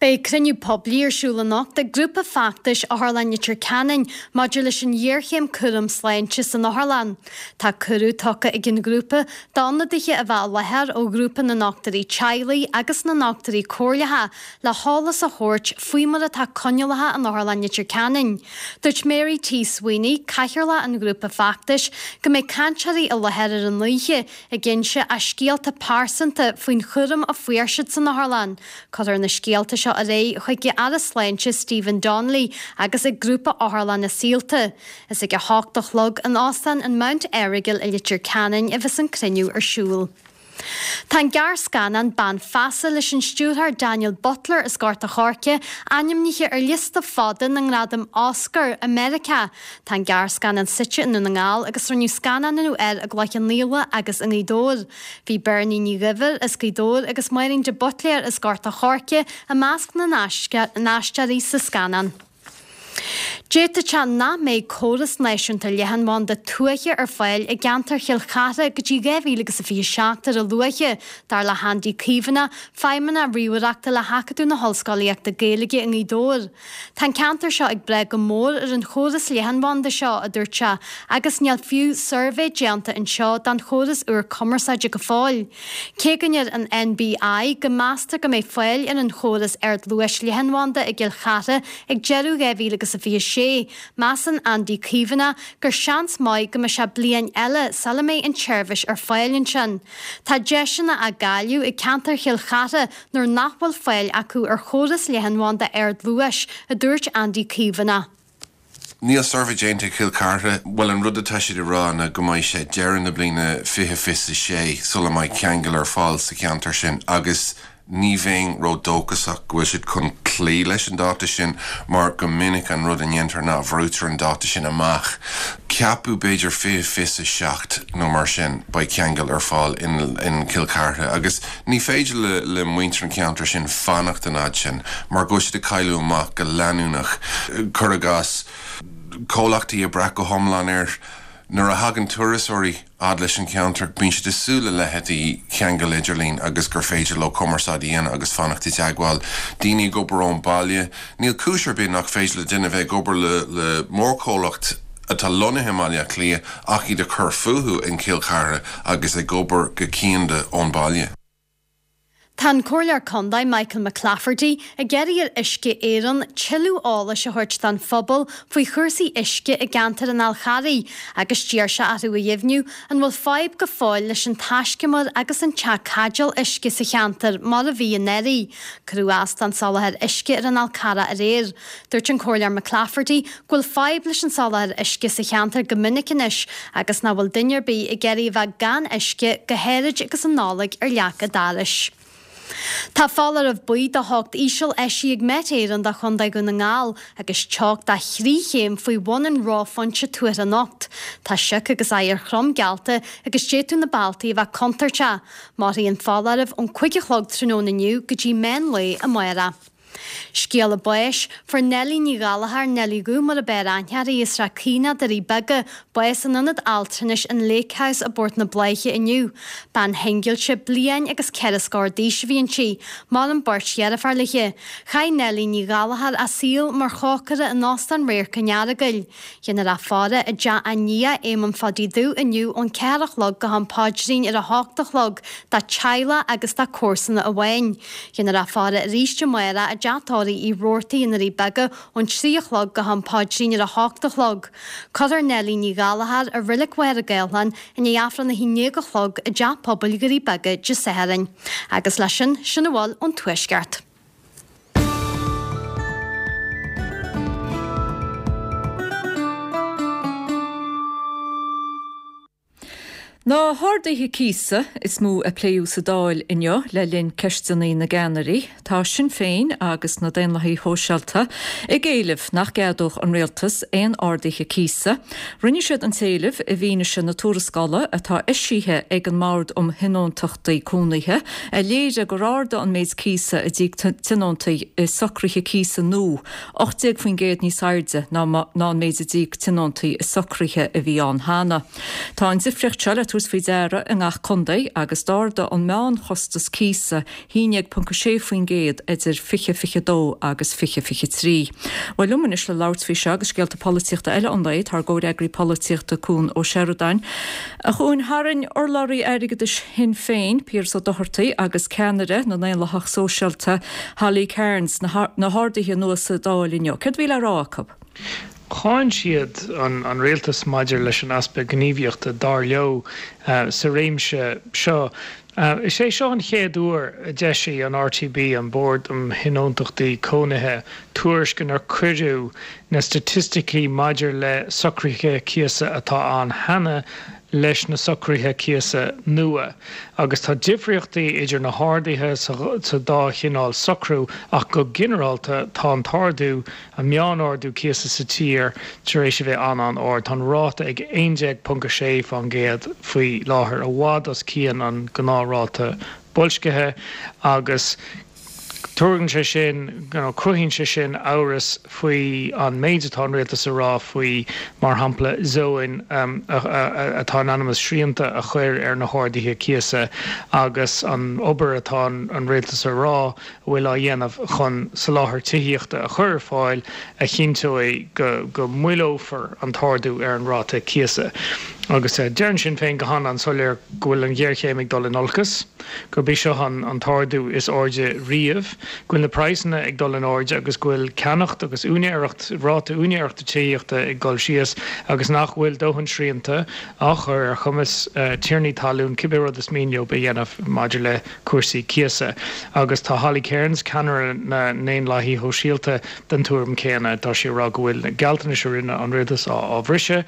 Beidh cruinniú poiblí ar siúl anocht ag grúpa feachtais Otharlann Leitir Ceanainn maidir leis an ghéarchéim cúram sláinte san otharlann. Tá cuireadh tugtha ag an ghrúpa d'ionadaithe a bheith i láthair ó ghrúpa na ndochtúirí teaghlaigh agus na ndochtúirí comhairleacha le heolas a thabhairt faoi mar atá coinníollacha in Otharlann Leitir Ceanainn. Dúirt Mary T. Sweeney, cathaoirleach an ghrúpa feachtais, go mbeidh cainteoirí i láthair ar an oíche ag inse a scéalta pearsanta faoin chúram a fuair siad san otharlann. Cuirfear na scéalta seo ar aghaidh chuig an Aire Sláinte Stephen Donnelly agus ag grúpa Otharlanna Saolta. Is ag a hocht a chlog in Óstán an Mount Errigal i Leitir Ceanainn a bheas an cruinniú ar siúl. Tá an gearrscannán Bean Feasa leis an stiúrthóir Daniel Butler as Gort a' Choirce ainmnithe ar liosta fada na ngradam Oscar i Meiriceá. Tá an gearrscannán suite i nDún na nGall agus rinneadh scannánú air i gCloich Cheann Fhaola agus i nGaoth Dobhair. Bhí Bernie Ní Dhuibhir as Gaoth Dobhair agus Máirín de Buitléar as Gort a' Choirce i measc na n-aisteoirí sa scannán. D'fhéadfadh sé nach mbeidh córas náisiúnta leathanbhanda tuaithe ar fáil i gceantar Chill Chartha go dtí dhá mhíle agus a fiche seacht ar a luaithe, dar le hAndy Caomhánach, Feidhmeannach Ríomhaireachta le hAcadamh na hOllscolaíochta Gaeilge i nGaoth Dobhair. Tá an ceantar seo ag brath go mór ar an chóras leathanbhanda seo, a dúirt sé, agus níl fiú suirbhé déanta anseo don chóras úr cumarsáide go fóill. Cé go ndeir an NBI go meastar go mbeidh fáil ar an chóras ardluais leathanbhanda i gCill Chartha ag deireadh dhá mhíle agus a fiche sé, measann Andy Caomhánach gur seans maith go mbeidh sé bliain eile sula mbeidh an tseirbhís ar fáil ansin. Tá deiseanna á gcailleadh ag ceantar Chill Chartha nuair nach bhfuil fáil acu ar chóras leathanbhanda ardluais, a dúirt Andy Caomhánach. Níl suirbhé déanta i Cill Chartha, bhuel an rud atá siad ag rá ná go mbeidh sé deireadh na bliana fiche fiche a sé sula mbeidh ceangal ar fáil sa cheantar sin agus ní bheinn ródhóchasach go bhfuil siad chun cloí leis an dáta sin mar go minic an rud a ndéantar ná brúitear an dáta sin amach. Ceapadh b'fhéidir fiche fiche a seacht nó mar sin beidh ceangal ar fáil in, in Cill Chartha agus ní féidir le, le muintir an ceantar sin fanacht an fhad sin mar go siad ag cailleadh amach go leanúnach. Cuir i gcás comhlachtaí ag brath go hiomlán air nuair a thagann turasóirí fhad leis an cheantar, bíonn siad ag súil le leithéidí ceangal idirlín agus gur féidir leo cumarsáid a dhéanamh agus fanacht i dteagmháil. Daoine ag obair ón baile, níl cúis ar bith nach féidir le duine bheith ag obair le, le mórchomhlacht atá lonnaithe i mBaile Átha Cliath ach iad ag cur fúthu in Cill Chartha agus ag obair go cianda ón baile. Tá an Comhairleoir Contae Michael McClafferty ag iarraidh ar Uisce Éireann tuilleadh eolais a thabhairt don phobal faoi chúrsaí uisce i gceantar an Fhál Charraigh agus d'iarr sé orthu a dheimhniú an bhfuil fadhb go fóill leis an taiscumar agus an teach caidéil uisce sa cheantar mar a bhí anuraidh. Cuireadh as don soláthar uisce ar an Fhál Carrach aréir. Dúirt an Comhairleoir McClafferty go bhfuil fadhb leis an soláthar uisce sa cheantar go minic anois agus nach bhfuil duine ar bith ag iarraidh a bheith gan uisce go háirid agus an Nollaig ar leac an dorais. Tá foláireamh buí do theocht íseal eisithe ag Met Éireann do Chontae Dhún na nGall agus teocht de thrí chéim faoi bhun an reophointe tuartha anocht. Tá sioc agus oighear trom geallta agus d'fhéadfadh na bealtaí a bheith contúirteach. Mairfidh an foláireamh ón cúig a chlog tráthnóna inniu go dtí meán lae amárach. Scéala báis, Fuair Neilí Ní Ghallchóir, Neilí Dhubh mar a b'fhearr aithne uirthi, as Srath Caoineadh, Doirí Beaga, bás in Ionad Altranais an Lake House i bPort na Bláiche inniu. Bean shingilte, bliain agus ceithre scór d'aois a bhí inti. Maireann beirt dheirféar léi. Chaith Neilí Ní Ghallchóir a saol mar chócaire in Óstán Radharc an Earagail. Dhéanfar a faire i dteach a nia, Éamonn Pháidí Dubh, inniu ón ceathair a chlog go ham paidrín ar a hocht a chlog dá teaghlach agus dá comharsana amháin. Dhéanfar a faire arís amárach i dteach tórraimh Uí Robhartaigh i nDoirí Beaga ón trí a chlog go ham paidrín ar a hocht a chlog. Cuirfear Neilí Ní Ghallchóir i Reilig Mhachaire Gathlán i ndiaidh Aifreann a haon déag a chlog i dTeach Pobail Dhoirí Beaga Dé Sathairn. Agus leis sin, sin a bhfuil ón Tuaisceart. Na harduithe cíosa is mó a pléadh sa Dáil inniu le linn ceisteanna na gceannairí, tá Sinn Féin agus na Daonlathaigh Shóisialta ag éileamh nach gceadódh an rialtas aon arduithe cíosa. Rinne siad an t-éileamh i bhfianaise na tuarascála atá eisithe ag an mBord um Thionóntachtaí Cónaithe a léirigh gur ardaigh an méid cíosa a d'íoc tionóntaí i socruithe cíosa nua ocht déag faoin gcéad níos airde ná an méid a d'íoc tionóntaí i socruithe a bhí ann cheana. Tá an difríocht seo le tabhairt faoi deara i ngach contae agus d'ardaigh an meánchostas cíosa haon déag ponc a sé faoin gcéad idir fiche fiche dó agus fiche fiche trí. Bhuel liom anois le labhairt faoi seo agus scéalta polaitíochta eile an lae tá ár gcomhfhreagraí polaitíochta Cuan Ó Seireadáin. A Chuain, tharraing urlabhraí airgeadais Shinn Féin, Piaras Ó Dochartaigh agus ceannaire na nDaonlathach Sóisialta Holly Cairns na harduithe nua sa Dáil inniu. Céard a bhí le rá acu? Cháin siad an rialtas maidir leis an easpa gníomhaíochta, dar leo, sa réimse seo. Is é seo an chéad uair a d'eisigh an RTB, an Bord um Thionóntachtaí Cónaithe, tuairisc inar cuireadh na staitisticí maidir le socruithe cíosa atá ann cheana leis na socruithe cíosa nua. Agus tá difríochtaí idir na harduithe sa dá chineál socrú ach go ginearálta tá an t-ardú, an meán-ardú cíosa sa tír tar éis a bheith an-an-ard. Tá an ráta ag aon déag ponc a sé fán gcéad faoi láthair, i bhfad os cionn an gnáthráta boilscithe agus Tugann sé sin, nó cruthaíonn sé sin amhras faoi an méid atá an rialtas a rá faoi, mar shampla, zóin atá in ainm is srianta a chur ar na harduithe cíosa agus an obair atá an rialtas a rá a bhfuil á dhéanamh chun soláthar tithíochta a chur ar fáil a chinnteoidh go moilleofar an t-ardú ar an ráta cíosa. Agus deireann Sinn Féin go han-an-soiléir go bhfuil an ghéarchéim ag dul in olcas, gurb é seo an t-ardú is airde riamh, go bhfuil na praghsanna ag dul in airde agus go bhfuil ceannacht agus úinéireacht, ráta úinéireachta tithíochta ag dul síos agus nach bhfuil dóthain srianta á chur ar chumas tiarnaí talún cibé rud is mian leo a dhéanamh maidir le cúrsaí cíosa. Agus tá Holly Cairns, ceannaire na nDaonlathaithe Shóisialta, den tuairim chéanna. Tá sí ag rá go bhfuil na gealltanais a rinne an rialtas á bhriseadh,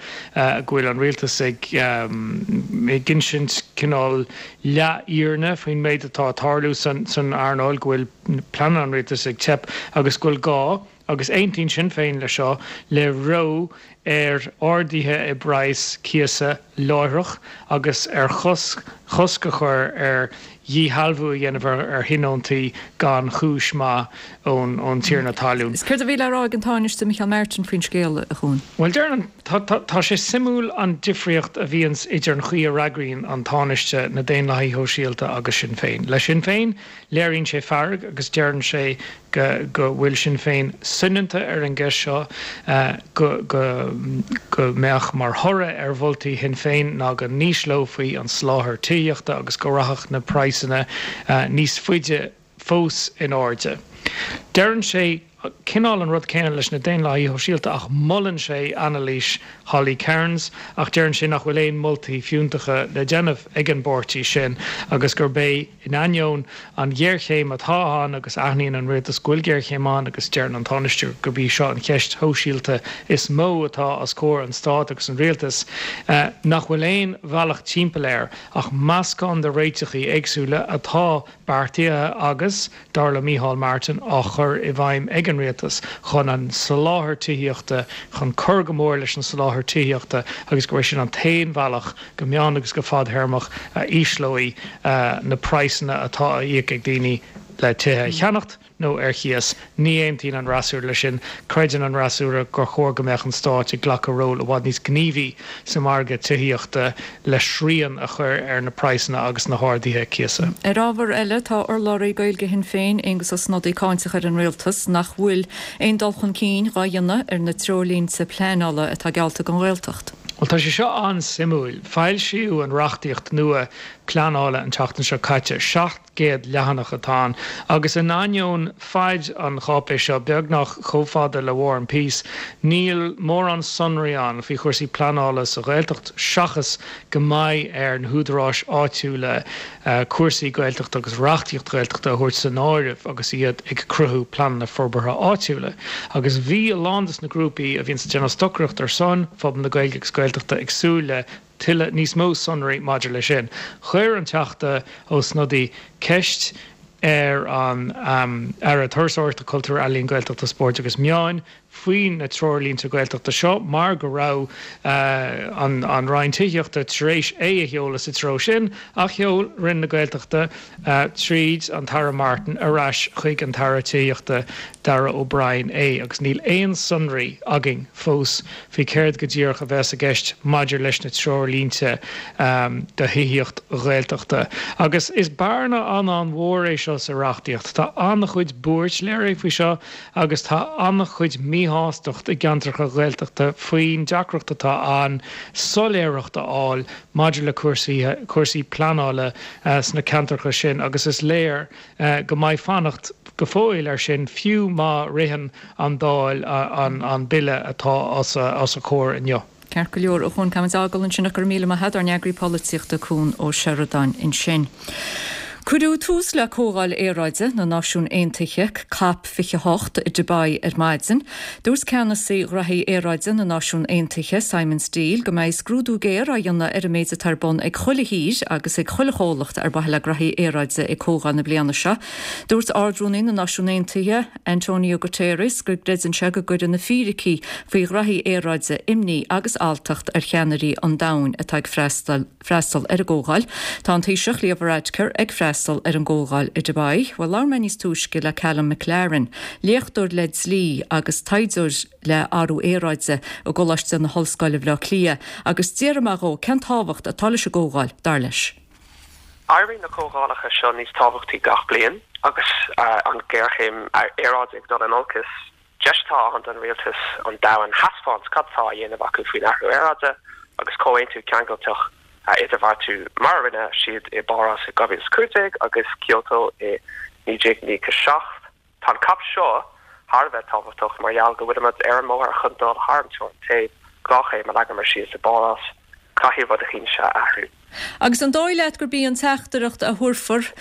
go bhfuil an rialtas ag ag insint cineál leathfhírinne faoin méid atá ag tarlú san earnáil, go bhfuil pleananna an rialtais ag teip agus go bhfuil gá, agus aontaíonn Sinn Féin leis seo, le reo ar arduithe i bpraghas cíosa láithreach agus ar chosc a chur ar dhíshealbhú a dhéanamh ar thionóntaí gan chúis mhaith ón tiarna talún. Is céard a bhí le rá ag an Tánaiste Micheál Martin faoin scéal, a Chuain? Bhuel, deireann an, tá sé suimiúil an difríocht a bhíonns idir an chaoi a fhreagraíonn an Tánaiste, na Daonlathaithe Shóisialta agus Sinn Féin. Le Sinn Féin, léiríonn sé fearg agus deireann sé go go bhfuil Sinn Féin soineanta ar an gceist seo, go go go mbeadh mar thoradh ar mholtaí Shinn Féin ná go n-ísleofaí an soláthar tithíochta agus go rachadh na praghsanna níos faide fós in airde. Deireann sé cineál an rud céanna leis na Daonlathaithe Shóisialta ach molann sé anailís Holly Cairns ach deireann sé nach bhfuil aon moltaí fiúntacha le déanamh ag an bpáirtí sin agus gurb é in ainneoin an ghéarchéim atá ann agus aithníonn an rialtas go bhfuil géarchéim ann agus deireann an Tánaiste gurb í seo an cheist shóisialta is mó atá os comhair an stáit agus an rialtais nach bhfuil aon bhealach timpeall air ach meascán de réiteachaí éagsúla atá beartaithe agus, dar le Micheál Martin, á chur i bhfeidhm ag an rialtas chun an soláthar tithíochta, chun cur go mór leis an soláthar tithíochta agus gurb é sin an t-aon bhealach, go meán agus go fadthéarmach, a ísleoidh na praghsanna atá á íoc ag daoine le tithe a cheannacht nó ar chíos. Ní aontaíonn an fhreasúra leis sin. Creideann an fhreasúra gur chóir go mbeadh an Stát ag glacadh ról i bhfad níos gníomhaí sa mhargadh tithíochta le srian a chur ar na praghsanna agus na harduithe cíosa. Ar ábhar eile, tá urlabhraí Gaeilge Shinn Féin, Aengus Ó Snodaigh, cáinteach ar an Rialtas nach bhfuil aon dul chun cinn dhá dhéanamh ar na treoirlínte pleanála atá geallta don Ghaeltacht. Bhuel, tá sé seo an-suimiúil. Foilsíodh an reachtaíocht nua pleanála an tseachtain seo caite. Seacht gcéad leathanach atá ann, agus in ainneoin faid an cháipéis seo, beagnach chomh fada le War and Peace, níl mórán sonraí ann faoi chúrsaí pleanála sa Ghaeltacht seachas go mbeidh ar na húdaráis áitiúla cúrsaí Gaeltachta agus reachtaíocht Ghaeltachta a thabhairt san áireamh agus iad ag cruthú pleananna forbartha áitiúla. Agus bhí a lán de na grúpaí a bhíonns ag déanamh stocaireacht ar son phobal na Gaeilge agus Gaeltachta ag súil le tuilleadh níos mó sonraí maidir leis sin. Chuir an Teachta Ó Snodaigh ceist ar an Aire Turasóireachta, Cultúir, Ealaíon, Gaeltachta, Spóirt agus Meáin faoi na treoirlínte Gaeltachta seo mar go raibh an an Roinn Tithíochta tar éis é a sheoladh sa treo sin ach sheol Roinn na Gaeltachta tríd an tAire Martin ar ais chuig an tAire Tithíochta Darragh O'Brien é agus níl aon sonraí againn fós faoi céard go díreach a bheas i gceist maidir leis na treoirlínte do thithíocht Ghaeltachta. Agus is bearna an-an-mhór é seo sa reachtaíocht. Tá an-chuid buairt léirithe faoi seo agus tá an-chuid míshástacht i gceantracha Ghaeltachta faoin deacracht atá ann soiléireacht a fháil maidir le cúrsaí cúrsaí pleanála sna ceantracha sin agus is léir go mbeidh fanacht go fóill air sin fiú má ritheann an Dáil an bille atá os a comhair inniu. Ceart go leor, a Chuan, caithfimid fágáil ansin ach go raibh míle maith agat, ár n-eagraí polaitíochta Cuan Ó Seireadáin ansin. Cuireadh tús le Comhdháil Aeráide na Náisiún Aontaithe, Cop fiche a hocht, i Dubai ar maidin. Dúirt ceannasaí ghraithí aeráide na Náisiún Aontaithe, Simon Stiell, go mbeidh scrúdú géar á dhéanamh ar an méid atá ar bun ag chuile thír agus ag chuile chomhlacht ar mhaithe le graithí aeráide ag comhdháil na bliana seo. Dúirt Ard-Rúnaí na Náisiún Aontaithe, Antonio Guterres, go gcreideann sé go gcuireann na fíricí faoi ghraithí aeráide imní agus alltacht ar cheannairí an domhain atá ag freastal freastal ar an gcomhdháil. Tá an Taoiseach Leo Varadkar ag freastal ar an gcomhdháil i Dubai. Bhuel, labhair mé níos túisce le Callum McLaren, léachtóir le dlí agus taighdeoir le athrú aeráide i gColáiste na hOllscoile Bhaile Átha Cliath, agus d'iarr mé dhó cén tábhacht atá leis an gcomhdháil, dar leis. Éiríonn na comhdhálacha seo níos tábhachtaí gach bliain agus an ghéarchéim aeráide ag dul in olcas. Deis atá ann don rialtas an domhan a thaispeáint cad atá á dhéanamh acu faoin athrú aeráide agus comhaontú ceangailteach a idirbheartú mar a rinne siad i bPáras i dhá mhíle is a cúig déag agus Kyoto i naoi déag naocha a seacht. Tá an cop seo thar a bheith tábhachtach mar gheall go bhfuilimid ar an mbóthar chun dul thar an teorainn téimh dhá chéim a leagamar síos i bPáras. Caithfidh rud eicínt a athrú. Agus an dóigh leat gurb í an teachtaireacht a thabharfar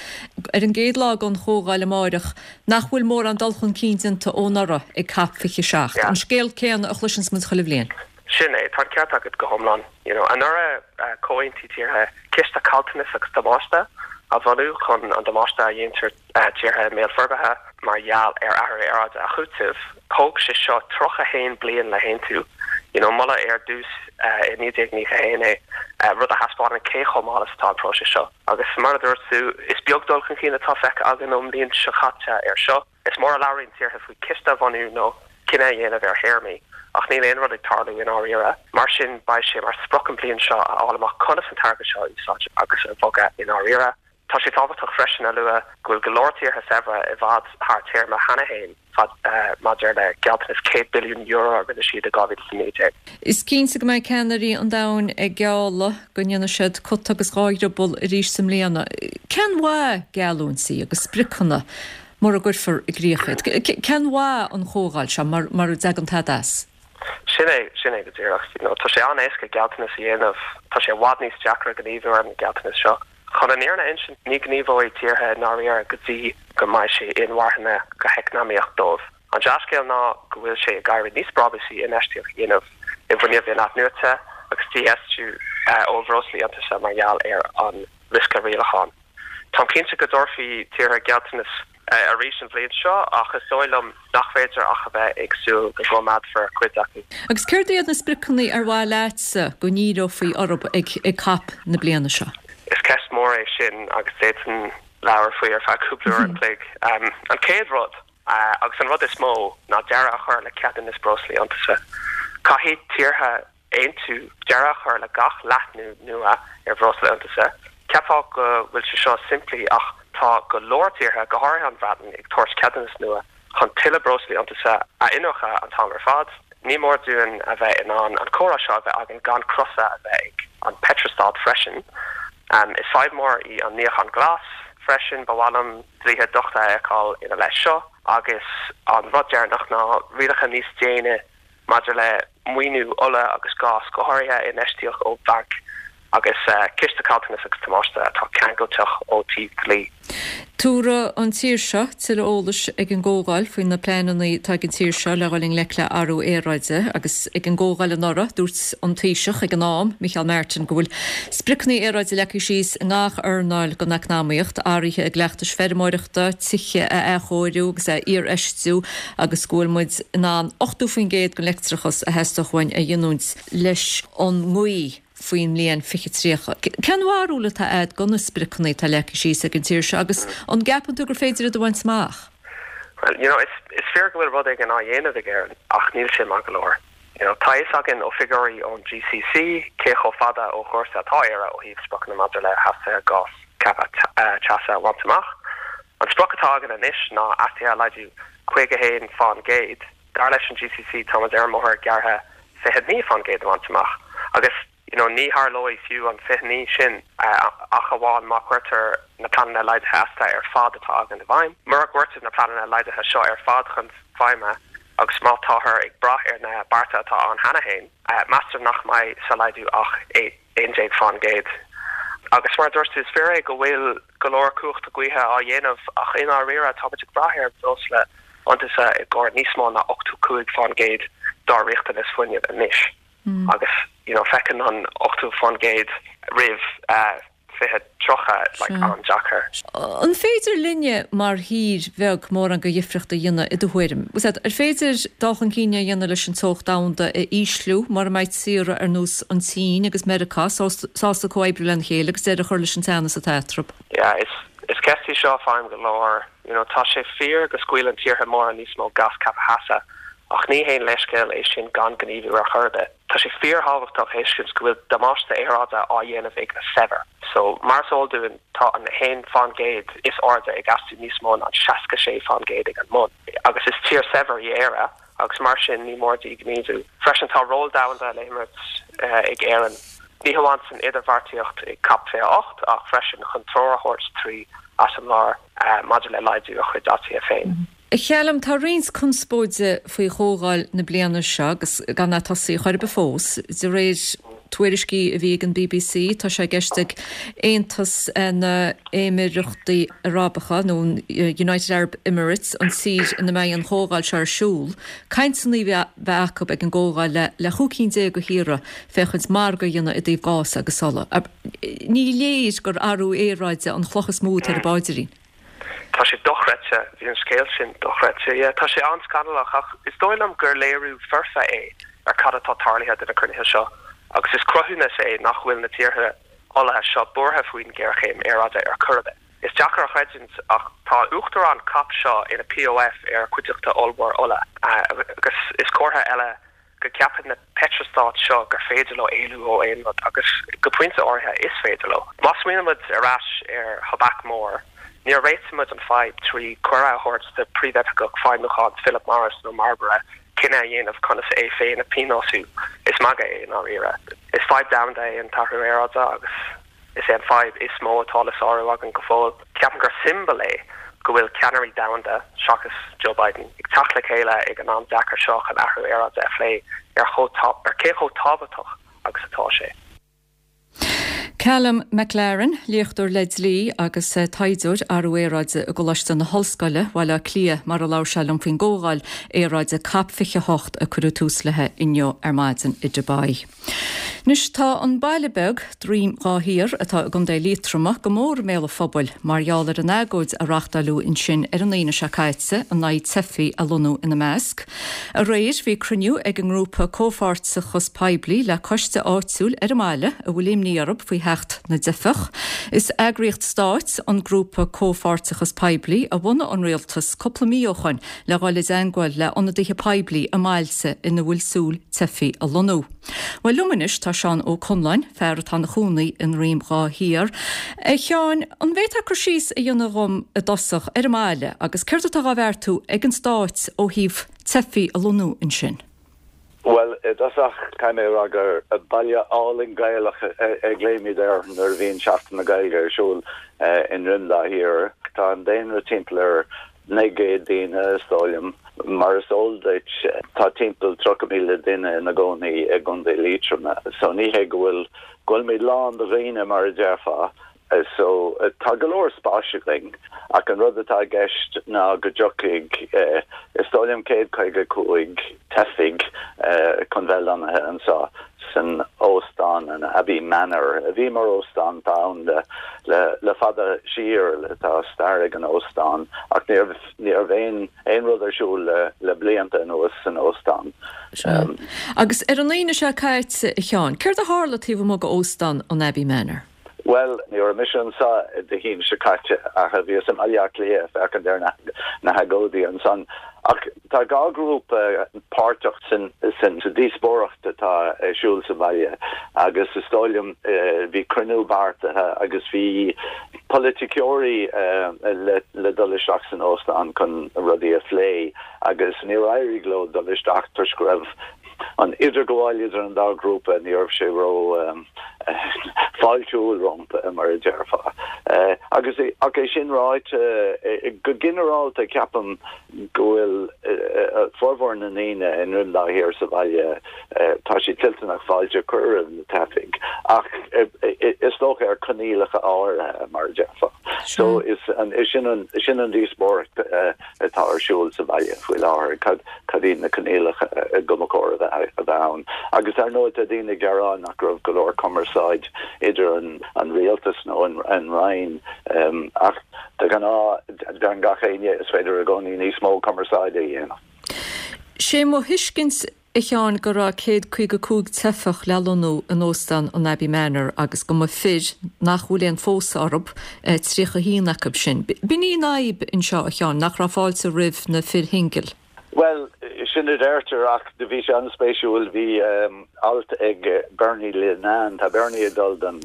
ar an gcéad lá den chomhdháil amáireach nach bhfuil mórán dul chun cinn déanta ó anuraidh ag Cop fiche a seacht, an scéal céanna a chloiseanns muid chuile bhliain? Sin é, tá an ceart agat go hiomlán. You know, anuraidh chomhaontaigh tíortha ciste caillteanas agus damáiste a bhunú chun an damáiste a dhéantar tíortha i mbéal forbartha mar gheall ar athrú aeráide a chúiteamh. Thóg sé seo tríocha a haon bliain le haontú. You know, moladh ar dtús i naoi déag naocha a haon é, rud a thaispeánann cé chomh mall is atá an próiseas seo. Agus mar a dúirt tú, is beag dul chun cinn atá feicthe againn ón mbliain seo caite air seo. Is mór a labhraíonn tíortha faoi chiste a bhunú nó cinneadh a dhéanamh ar théarmaí, ach níl aon rud ag tarlú i ndáiríre. Mar sin, beidh sé mar sprioc an bhliain seo a fháil amach conas an t-airgead seo a úsáid agus a bhogadh i ndáiríre. Tá sé tábhachtach freisin a lua go bhfuil go leor tíortha saibhre i bhfad thar téarma cheana féin fad maidir le gealltanas céad billiún euro a rinne siad i dhá mhíle is a naoi déag. Is cinnte go mbeidh ceannairí an domhain ag gealladh go ndéanfaidh siad cut agus dhá dhrioball arís i mbliana. Cén mhaith geallúintí agus spriocanna mura gcuirfear i gcrích iad? Cén mhaith an chomhdháil seo mura dtagann tada as? Sin é, sin é go díreach. You know, tá sé an-éasca gealltanas a dhéanamh, tá sé i bhfad níos deacra gníomhú ar na gealltanais seo. Chun an fhírinne a insint, ní ghníomhóidh tíortha i ndáiríre go dtí go mbeidh sé inmharthana go heacnamaíoch dóibh. An dea-scéal ná go bhfuil sé ag éirí níos brabúsaí infheistíocht a dhéanamh i bhfuinneamh in-athnuaite agus dífheistiú ó bhreoslaí iontaise mar gheall ar an riosca rialacháin. Táim cinnte go dtabharfaidh tíortha gealltanas arís an bhliain seo ach is dóigh liom nach féidir ach a bheith ag súil go gcoimeádfar cuid acu. Agus céard iad na spriocanna ar mhaith leatsa go ndíreofaí orthu ag ag Cop na bliana seo? Is ceist mhór é sin agus d'fhéadfainn labhair faoi ar feadh cúpla uair an chloig. An chéad rud, agus an rud is mó, ná deireadh a chur le ceadúnas breoslaí iontaise. Caithfidh tíortha aontú deireadh a chur le gach leathnú nua ar bhreosla iontaise. Cheapfá go bhfuil sé seo simplí ach tá go leor tíortha, go háirithe an Bhreatain, ag tabhairt ceadúnas nua chun tuilleadh breoslaí iontaise a iniúchadh an t-am ar fad. Ní mór dúinn a bheith in ann an comhrá seo a bheith againn gan crosadh a bheith ag an peitreastát freisin. Is fadhb mhór í an níochán glas freisin, ba mhaith liom dlíthe dochta a fheiceáil ina leith seo. Agus an rud deireanach ná rialacha níos déine maidir le maoiniú ola agus gás, go háirithe infheistíocht ó bhainc agus ciste caillteanas agus damáiste atá ceangailteach ó taobh dlí. Tabharfaidh an tír seo tuilleadh eolais ag an gcomhdháil faoi na pleananna atá ag an tír seo le dhul i ngleic le athrú aeráide agus ag an gcomhdháil anuraidh dúirt an Taoiseach ag an am, Micheál Martin, go bhfuil spriocanna aeráide leagtha síos i ngach earnáil den eacnamaíocht, athruithe i gcleachtais feirmeoireachta, tithe a athchóiriú agus a iarfheistiú agus go bhfuil muid in ann ochtó faoin gcéad den leictreachas a theastódh uainn a ghiniúint leis an ngaoth. faoin mbliain fiche tríocha. Cén bharúil atá agat de na spriocanna atá leagtha síos ag an tír seo agus an gceapann tú gur féidir iad a bhaint amach? Well, you know, is, is fíor go bhfuil rud éigin á dhéanamh ag Éirinn ach níl sé maith go leor. You know, tá a fhios againn ó figiúirí ón GCC cé chomh fada ó chúrsa atá Éire ó thaobh spriocanna maidir le hastuithe gás ceaptha teasa a bhaint amach. An sprioc atá againn anois ná astuithe a laghdú caoga a haon fán gcéad. Dar leis an GCC táimid ar an mbóthar gearrtha fiche naoi fán gcéad a bhaint amach agus you know ní tharlóidh fiú an fiche naoi sin ach amháin má chuirtear na pleananna laghdaithe astuithe ar fad atá againn i bhfeidhm. Mura gcuirtear na pleananna laghdaithe seo ar fad chun feidhme agus má táthar ag brath ar na bearta atá ann cheana féin, meastar nach mbeidh sa laghdú ach aon déag fán gcéad. Agus mar a dúirt tú, is fíor é go bhfuil go leor cumhachta gaoithe á dhéanamh ach i ndáiríre táimid ag brath ar bhreosla iontaise i gcomhair níos mó ná ochtó cúig fán gcéad dár riachtanas fuinnimh anois. Agus you know feiceann an ochtó fán gcéad roimh fiche tríocha like an-deacair. An féidir linne mar thír bheag mórán de dhifríocht a dhéanamh i do thuairim? Ar féidir dul chun cinn a dhéanamh leis an teocht domhanda a ísliú mura mbeidh tíortha ar nós an tSín agus Meiriceá sásta comhoibriú lena chéile agus deireadh a chur leis an teannas atá eatarthu? Yeah, is is ceist í seo a fhaighim go leor. You know, tá sé fíor go scaoileann tíortha móra níos mó gás ceaptha teasa, ach ní haon leithscéal é sin gan gníomhú ar chor ar bith. Tá sé fíorthábhachtach a thuiscint go bhfuil damáiste aeráide á dhéanamh ag na saibhir. So, mar is eol dúinn, tá an a haon fán gcéad is airde ag astú níos mó ná an seasca sé fán gcéad ag an mbun. Agus is tír saibhir í Éire, agus mar sin ní mór di gníomhú. Freisin tá ról domhanda le himirt ag Éirinn, ní hamháin san idirbheartaíocht ag Cop fiche a hocht ach freisin chun treoir a thabhairt trí eiseamláir maidir le laghdú a chuid astuithe féin. A Chaluim, tá roinnt conspóide faoi chomhdháil na bliana seo agus gan é tosaithe chor ar bith fós. De réir tuairiscí a bhí ag an bbc, tá sé i gceist ag Aontas na nÉimíríochtaí Arabacha, nó an United Arab Emirates, an tír ina mbeidh an chomhdháil seo ar siúl, cainteanna a bheith acu ag an gcomhdháil le le chúig cinn déag de thíortha féachaint margadh a dhéanamh i dtaobh gás agus ola. Ní léir gur athrú aeráide an chloch is mó atá ar a bpaidrín. Tá sé dochreidte, bhí an scéal sin dochreidte, yeah. Tá sé an-scannalach ach is dóigh liom gur léiriú foirfe é ar cad atá tarlaithe do na cruinnithe seo agus is cruthúnas é nach bhfuil na tíortha olaithe seo buartha faoin ghéarchéim aeráide ar chor ar bith. Is deacair a chreidiúint ach tá uachtarán cop seo ina POF ar chuideachta ollmhór ola agus is comhartha eile go gceapann na peitreastáit seo gur féidir leo éalú ó aon rud, agus go pointe áirithe is féidir leo. Má smaoinímid ar ais ar thobac mór, níor réitigh muid an fadhb trí cuireadh a thabhairt do phríomhoifigeach feidhmiúcháin Philip Morris nó Marlboro cinneadh a dhéanamh conas é féin a phionósú. Is magadh é i ndáiríre. Is fadhb domhanda é an t-athrú aeráide agus is é an fadhb is mó atá le sárú againn go fóill. Ceapaim gur siombail é go bhfuil ceannairí domhanda, seachas Joe Biden, ag teacht le chéile ag an am deacair seo chun athrú aeráide a phlé ar ar cé chomh tábhachtach agus atá sé. Calum MacLaren, léachtóir le dlí agus taighdeoir athrú aeráide i gColáiste na hOllscoile, Baile Átha Cliath, mar a labhair sé liom faoin gcomhdháil aeráide Cop fiche a hocht a cuireadh tús léi inniu ar maidin i Dubai. Anois tá an baile beag, Droim Dhá Thiar, atá i gContae Liatroma, go mór i mbéal an phobail mar gheall ar an agóid a reáchtáileadh ansin ar an Aoine seo caite in aghaidh teifigh a lonnú ina measc. Aréir bhí cruinniú ag an ngrúpa Comhpháirteachas Poiblí le coiste áitiúil ar an mbaile a bhfuil imní orthu faoi theacht na dteifeach. Is eagraíocht stáit an grúpa Comhpháirteachas Poiblí a bhunaigh an rialtas cúpla mí ó shoin le dhul i dteangmháil le ionadaithe poiblí i mbailte ina bhfuil súil teifigh a lonnú. Bhuel liom anois tá Seán Ó Conláin, fear atá ina chónaí i nDroim Dhá Thiar. A Sheáin, an bhféadfá cur síos a dhéanamh dhom i dtosach ar an mbaile agus céard atá á bheartú ag an stát ó thaobh teifigh a lonnú ansin? Bhuel, i dtosach caithfidh mé a rá gur baile álainn Gaelach a ghlaoimid air nuair a bhíonn Seachtain na Gaeilge ar siúl i nDroim Dá Thiar. Tá an daonra timpeall ar naoi gcéad daoine, is dóigh liom. Mar is eol duit, tá timpeall tríocha míle duine ina gcónaí i gContae Liatroma, so ní hé go bhfuil go bhfuilimid lán de dhaoine mar a déarfá. So tá go leor spáis againn ach an rud atá i gceist ná go dtiocfaidh is dóigh liom céad caoga cúig teifigh chun bheith lonnaithe anseo san óstán an Abbey Manor a bhí mar óstán tá ann le le le fada siar tá stair ag an óstán ach ní raibh ní raibh aon aon rud ar siúl le le blianta anuas san óstán. Agus ar an Aoine seo caite a Sheáin, céard a tharla taobh amuigh d'óstán an Abbey Manor? Bhuel, ní raibh mise anseo Dé hAoine seo caite ach bhíos i mBaile Átha Cliath ag féachaint ar na hagóidí ansan. Ach tá dhá ghrúpa páirteach san san sa díospóireacht atá ar siúl sa bhaile agus is dóigh liom bhí cruinniú beartaithe agus bhí polaiticeoirí le le dul isteach san óstán chun rudaí a phlé agus níor éirigh leo dul isteach toisc go raibh an idirghabháil idir an dá ghrúpa, ní raibh sé ró fáiltiúil rompu, mar a déarfá. Agus ach é sin ráite, go ginearálta ceapaim go bhfuil formhór na ndaoine i nDroim Dá Thiar sa bhaile, tá siad toilteanach fáilte a chur roimh na teifigh, ach is dócha ar choinníollacha áirithe, mar a déarfá. So is sin an sin an díospóireacht atá ar siúl sa bhaile faoi láthair, cad cad iad na coinníollacha go mba chóir a bheith a bheith ann. Agus ar ndóigh tá daoine ag gearán nach raibh go leor cumarsáid idir an an rialtas nó an an Roinn ach de ghnáth deireann gach éinne is féidir i gcónaí níos mó cumarsáide a dhéanamh. Sé mo thuiscint a Sheáin go raibh céad caoga cúig teifeach le lonnú in Óstán an Abbey Manor agus go mba fir nach bhfuil aon phósadh orthu tríocha a haon acu sin. B'in í an fhadhb anseo a Sheáin, nach raibh fáilte roimh na fir shingil. Bhuel, sin a deirtear ach do bhí sé an-spéisiúil, bhí alt ag Bernie Linnane, tá Bernie ag dul don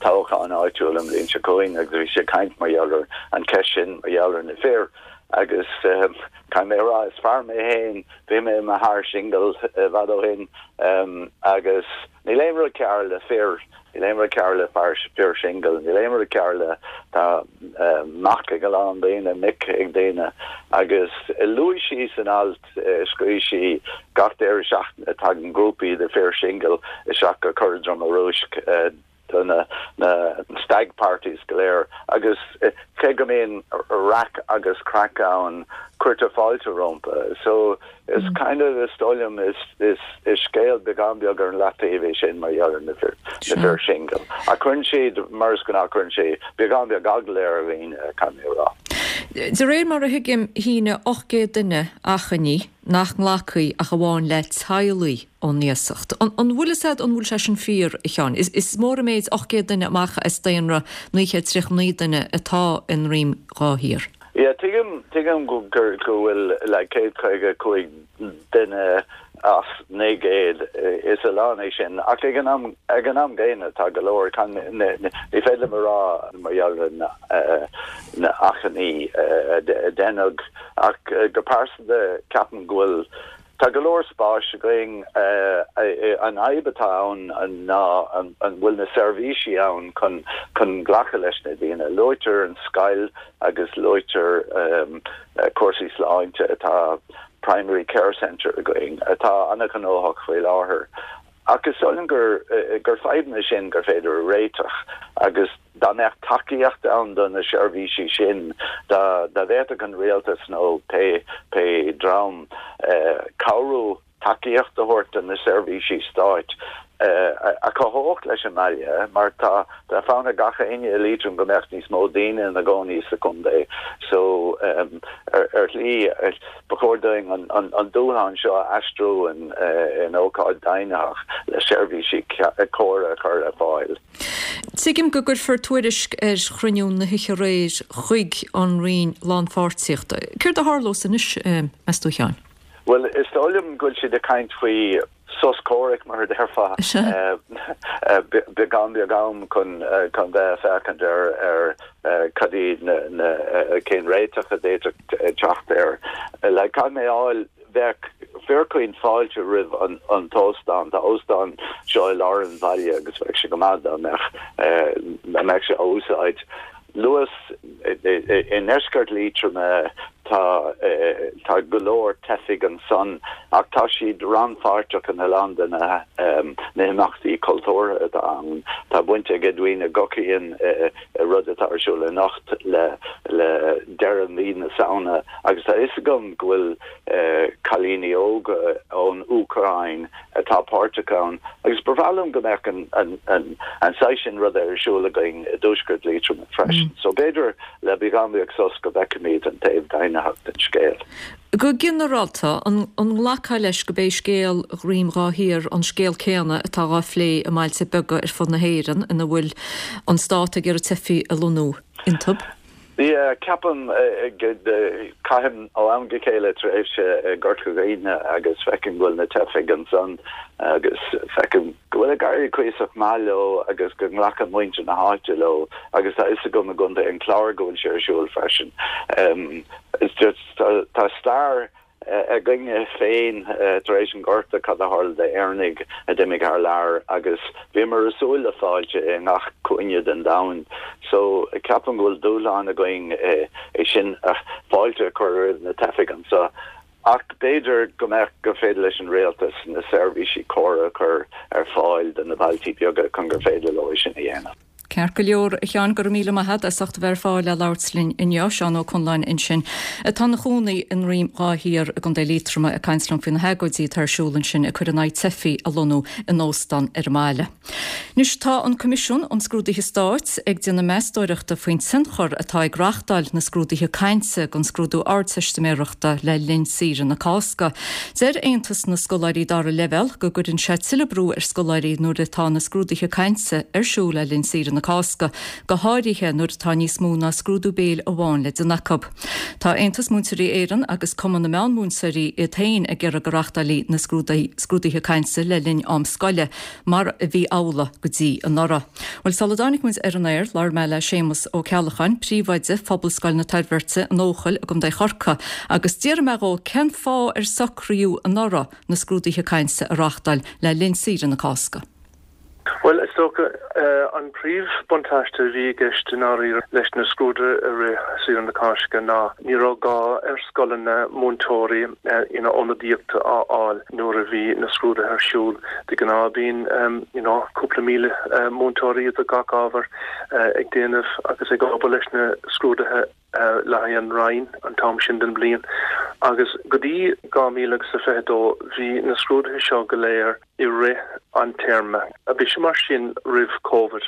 toghchán áitiúil an bhliain seo chugainn agus bhí sé ag caint mar gheall ar an cheist sin, mar gheall ar na fir agus caithfidh mé a rá, is fear mé féin, bhí mé i mo fhear singil i bhfad ó shin agus níl aon rud cearr le fir, níl aon rud cearr le fear, fir singil, níl aon rud cearr le, tá mac ag a lán daoine, mic ag daoine agus luaigh sí san alt, scríobh sí gach deireadh seachtaine tagann grúpaí de fir singil isteach go Cora Droma Rúisc, do na stag parties go léir agus cé go mbíonn raic agus craic ann, cuirtear fáilte rompu. So is kind of, is dóigh liom, is is is scéal beagán beag ar an leataobh é sin mar gheall ar na fir na fir singil. Ach cuireann siad, mar is gnáth, cuireann sé beagán beag eagla ar dhaoine, caithfidh mé a rá. De réir mar a thuigim, shínigh ocht gcéad duine achainí nach nglacfaí ach amháin le teaghlaigh ón iasacht. An bhfuil fhios a'd an bhfuil sé sin fíor, a Sheáin? Is mór an méid ocht gcéad duine amach as daonra naoi chéad tríocha naoi duine atá i nDroim Dhá Thiar. Yeah, tuigim, tuigim go bhfuil like céad caoga cúig duine as naoi gcéad, is a lán é sin, ach ag an am, ag an am gcéanna tá go leor, ní féidir liom a rá mar gheall ar na, na achainí a deineadh, ach go pearsanta ceapaim go bhfuil, tá go leor spáis againn, an fhadhb atá ann ná an bhfuil na seirbhísí ann chun, chun glacadh leis na daoine. Luaitear an scoil agus luaitear cúrsaí sláinte atá Primary Care Centre againn atá an-ghnóthach faoi láthair ach is dóigh liom gur gur fadhbanna sin gur féidir a réiteach agus dá mbeadh tacaíocht ann do na seirbhísí sin dá dá bhféadfadh an rialtas nó pé pé dream cabhrú tacaíocht a thabhairt do na seirbhísí stáit a chothódh leis an mbaile mar tá tá fonn ar gach éinne i Liatroim go mbeadh níos mó daoine ina gcónaí sa chontae so ar ar shlí ba chóir dúinn an an an dúshlán seo a aistriú in in ócáid deimhnitheach le seirbhísí córa a chur ar fáil. Tuigim go gcuirfear tuairisc ar chruinniú na hoíche aréir chuig an Roinn Lánpháirtíochta. Céard a tharlós anois, meas tú, a Sheáin? Bhuel, is dóigh liom go bhfuil siad ag caint faoi sos comhraic, mar a déarfá, beagán beag am chun chun bheith ag féachaint ar ar cad iad na na cén réiteach a d'fhéadfadh teacht air. Like, caithfidh mé a fháil, bheadh fíorchaoin fáilte roimh an an t-óstán. Tá óstán seo i lár an bhaile agus bheadh sé go maith dá mbeadh dá mbeadh sé á úsáid. Luas i ndeisceart Liatroma tá tá go leor teifigh ansan ach tá siad rannpháirteach in a lán de na na himeachtaí cultúrtha atá ann. Tá baint ag Edwina Guckian i rud atá ar siúl anocht le le deireadh mhí na Samhna agus tá fhios agam go bhfuil cailíní óga ón Úcráin atá páirteach ann agus ba bhreá liom go mbeadh an an an an saghas sin ruda ar siúl againn i dtuaisceart Liatroma freisin. So b'fhéidir le beagán beag sos go bhfeicfimid an taobh deimhnitheach den scéal. Go ginearálta, an an nglacfá leis gurb é scéal Dhroim Dhá Thiar an scéal céanna atá á phlé i mbailte beaga ar fud na hÉireann ina bhfuil an stát ag iarraidh teifigh a lonnú iontu? Yeah, ceapaim, caithim ó am go chéile tréimhse i gCorca Dhuibhne agus feicim go bhfuil na teifigh ansan agus feicim go bhfuil ag éirí cuíosach maith leo agus go nglacann muintir na háite leo agus tá fhios agam i gContae an Chláir go bhfuil sé ar siúl freisin. It's just tá stair againne féin tar éis an Ghorta, cad a tharla d'Éireannaigh a d'imigh thar lear agus bhíomar ag súil le fáilte i ngach cúinne den domhan. So ceapaim go bhfuil dúshlán againn é sin, fáilte a chur roimh na teifigh anseo. Ach b'fhéidir go mbeadh, gur féidir leis an rialtas na seirbhísí córa a chur ar fáil do na bailtí beaga chun gur féidir leo é sin a dhéanamh. Ceart go leor, a Sheáin, go raibh míle maith agat as ucht a bheith ar fáil le labhairt linn inniu. Seán Ó Conláin ansin, atá ina chónaí i nDroim Dhá Thiar i gContae Liatroma ag caint liom faoi na hagóidí atá ar siúl ansin ag cur in aghaidh teifigh a lonnú in óstán ar an mbaile. Anois tá an Coimisiún um Scrúduithe Stáit ag déanamh meastóireachta faoin tionchar atá ag reáchtáil na scrúduithe cainte don scrúdú Ardteistiméireachta le linn saoire na Cásca. Deir Aontas na Scoláirí Dara Leibhéal go gcuireann sé tuilleadh brú ar scoláirí nuair atá na scrúduithe cainte ar siúl le linn saoire na Cásca, go háirithe nuair atá níos mó ná scrúdú béil amháin le déanamh acu. Tá Aontas Múinteoirí Éireann agus Cumann na Meánmhúinteoirí iad féin ag iarraidh go reáchtálfaí na scrúduithe cainte le linn am scoile, mar a bhí amhlaidh go dtí anuraidh. Bhuel, sula dtáinig muid ar an aer, labhair mé le Séamus Ó Ceallacháin, príomhoide Phobalscoil na Toirbhirte in Eochaill i gContae Chorcaí, agus d'fhiafraigh mé dhó cén fáth ar socraíodh anuraidh na scrúduithe cainte a reáchtáil le linn saoire na Cásca. Bhuel, is dócha, an príomhbuntáiste a bhí i gceist i ndáiríre leis na scrúduithe i rith saoire na Cásca ná ní raibh gá ar scoileanna múinteoirí you know ionadaíocht a fháil nuair a bhí na scrúduithe ar siúl. De ghnáth bíonn you know cúpla míle múinteoirí do gach ábhar ag déanamh agus ag obair leis na scrúduithe le haghaidh an Roinn an t-am sin den bhliain. Agus go dtí dhá mhíle agus a fiche dó bhí na scrúduithe seo go léir i rith an téarma. Bhí sé mar sin roimh Covid.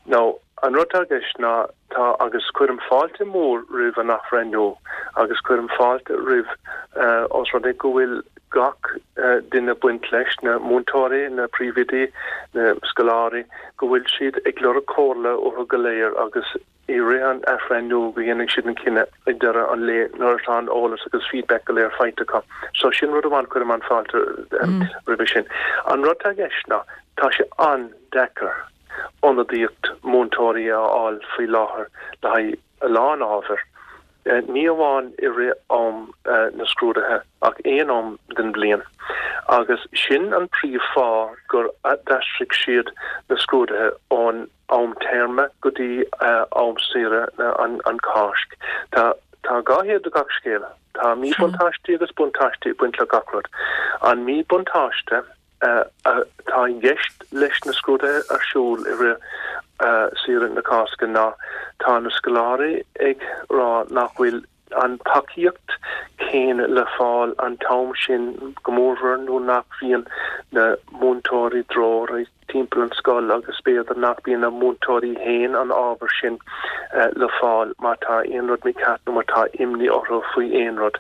Now, an rud atá i gceist ná tá, agus cuirim fáilte mhór roimh an athbhreithniú agus cuirim fáilte roimh, os rud é go bhfuil gach duine baint leis, na múinteoirí, na príomhoidí, na scoláirí, go bhfuil siad ag lorg comhairle uathu go léir agus i rith an athbhreithniú go dhéanfaidh siad an cinneadh ag deireadh an lae nuair atá an eolas agus feedback go léir faighte acu. So sin rud amháin, cuirim an-fháilte roimhe sin. An rud atá i gceist ná tá sé an-deacair ionadaíocht múinteoirí a fháil faoi láthair le haghaidh a lán ábhar, ní amháin i rith am na scrúduithe ach aon am den bhliain. Agus sin an príomh-fháth gur d'aistrigh siad na scrúduithe ón am téarma go dtí am saoire an Cháisc. Tá tá dhá thaobh de gach scéal. Tá míbhuntáistí agus buntáistí ag baint le gach rud. An míbhuntáiste atá i gceist leis na scrúduithe ar siúl i rith saoire na Cásca ná tá na scoláirí ag rá nach bhfuil an tacaíocht céanna le fáil an t-am sin go mórmhór nuair nach bhíonn na múinteoirí treoraí timpeall an scoil agus b'fhéidir nach bíonn na múinteoirí féin an ábhar sin le fáil má tá aon rud mícheart nó má tá imní orthu faoi aon rud.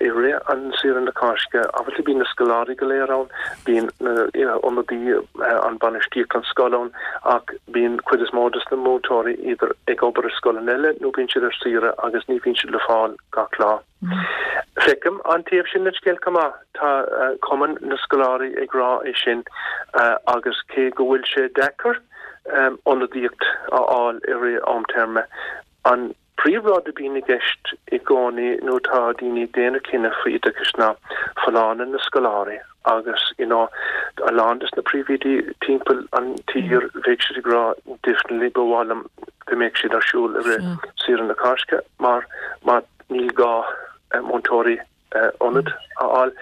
I rith an saoire na Cásca, obviously bíonn na scoláirí go léir ann, bíonn na ionadaí an bainistíocht an scoil ann ach bíonn cuid is mó de na múinteoirí idir ag obair i scoileanna eile nó bíonn siad ar saoire agus ní bhíonn siad le fáil gach lá. Feicim an taobh sin den scéal chomh maith. Tá Cumann na Scoláirí ag rá é sin agus cé go bhfuil sé deacair ionadaíocht a fháil i rith am téarma, an príomhrud a bhíonn i gceist i gcónaí nuair atá daoine ag déanamh cinneadh faoi oideachas ná folláine na scoláirí agus you know a lán des na príomhoidí timpeall an tír bheadh siad ag rá definitely ba mhaith liom go mbeadh siad ar siúl i rith saoire na Cásca mar má Níl gá múinteoirí ionaid a fháil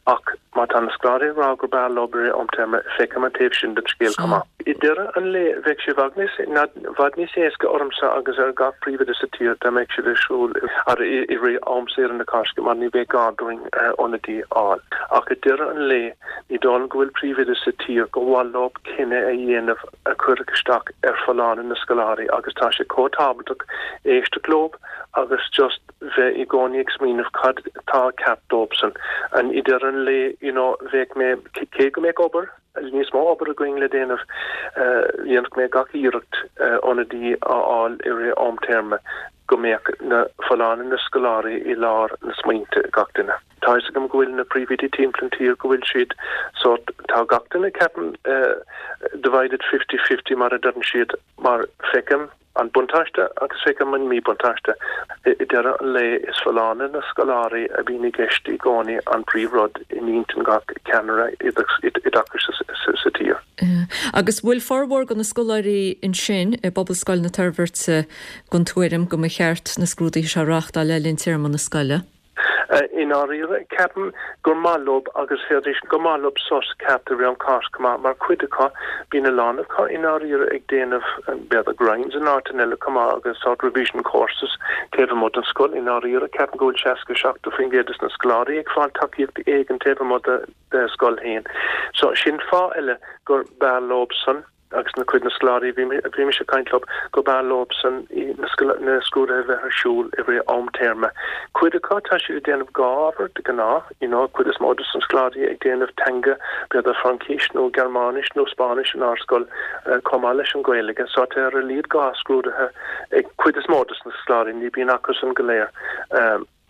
ach má tá na scoláirí ag rá gur b'fhearr leo i rith am téarma, feicim an taobh sin den scéal chomh maith. I deireadh an lae, bheadh sé i bhfad níos bhfad níos éasca ormsa agus ar gach príomhoide sa tír dá mbeadh siad ar siúl i rith am saoire na Cásca mar ní bheadh gá dúinn ionadaí a fháil. Ach i deireadh an lae, ní dóigh liom go bhfuil príomhoide sa tír gur mhaith leo cinneadh a dhéanamh a chuirfeadh isteach ar folláine na scoláirí agus tá sé chomh tábhachtach éisteacht leo agus just bheith i gcónaí ag smaoineamh cad atá ceart dóibhsean. And i deireadh an lae, you know, bheadh mé, cé go mbeadh obair, níos mó obair againn le déanamh, dhéanfadh mé gach iarracht ionadaí a fháil i rith am téarma go mbeadh na folláine na scoláirí i lár na smaointe ag gach duine. Tá fhios agam go bhfuil na príomhoidí timpeall an tír go bhfuil siad sórt, tá gach duine, ceapaim, divided fifty fifty mar a deireann siad, mar feicim, an buntáiste agus feicim an míbhuntáiste. I deireadh an lae, is folláine na scoláirí a bhíonn i gceist i gcónaí an príomhrud in intinn gach ceannaire oideachais sa tír. Agus bhfuil formhór de na scoláirí ansin i bPobalscoil na Toirbhirte den tuairim go mba cheart na scrúduithe seo a reáchtáil le linn téarma na scoile? I ndáiríre, ceapaim gur maith leob agus féadfaidh gur maith leob sos ceart i rith an Cháisc chomh maith, mar cuid acu, bíonn a lán acu i ndáiríre ag déanamh b'fhéidir grinds in áiteanna eile chomh maith agus sort revision courses taobh amuigh den scoil. I ndáiríre, ceapaim go bhfuil seasca seachtó faoin gcéad des na scoláirí ag fáil tacaíocht éigin taobh amuigh de scoil féin. So sin fáth eile gur b'fhearr leob san. agus na cuid na scoláirí a bhí mise ag caint leo, go b'fhearr leobsan na scrúduithe a bheith ar siúl i rith am téarma. Cuid acu, tá siad ag déanamh dhá ábhar de ghnáth, you know, cuid is mó de na scoláirí ag déanamh teanga, b'fhéidir Fraincis nó Gearmáinis nó Spáinnis in ár scoil chomh maith leis an Ghaeilge, so tá ar a laghad dhá scrúduithe ag cuid is mó de na scoláirí, ní bíonn acusan go léir.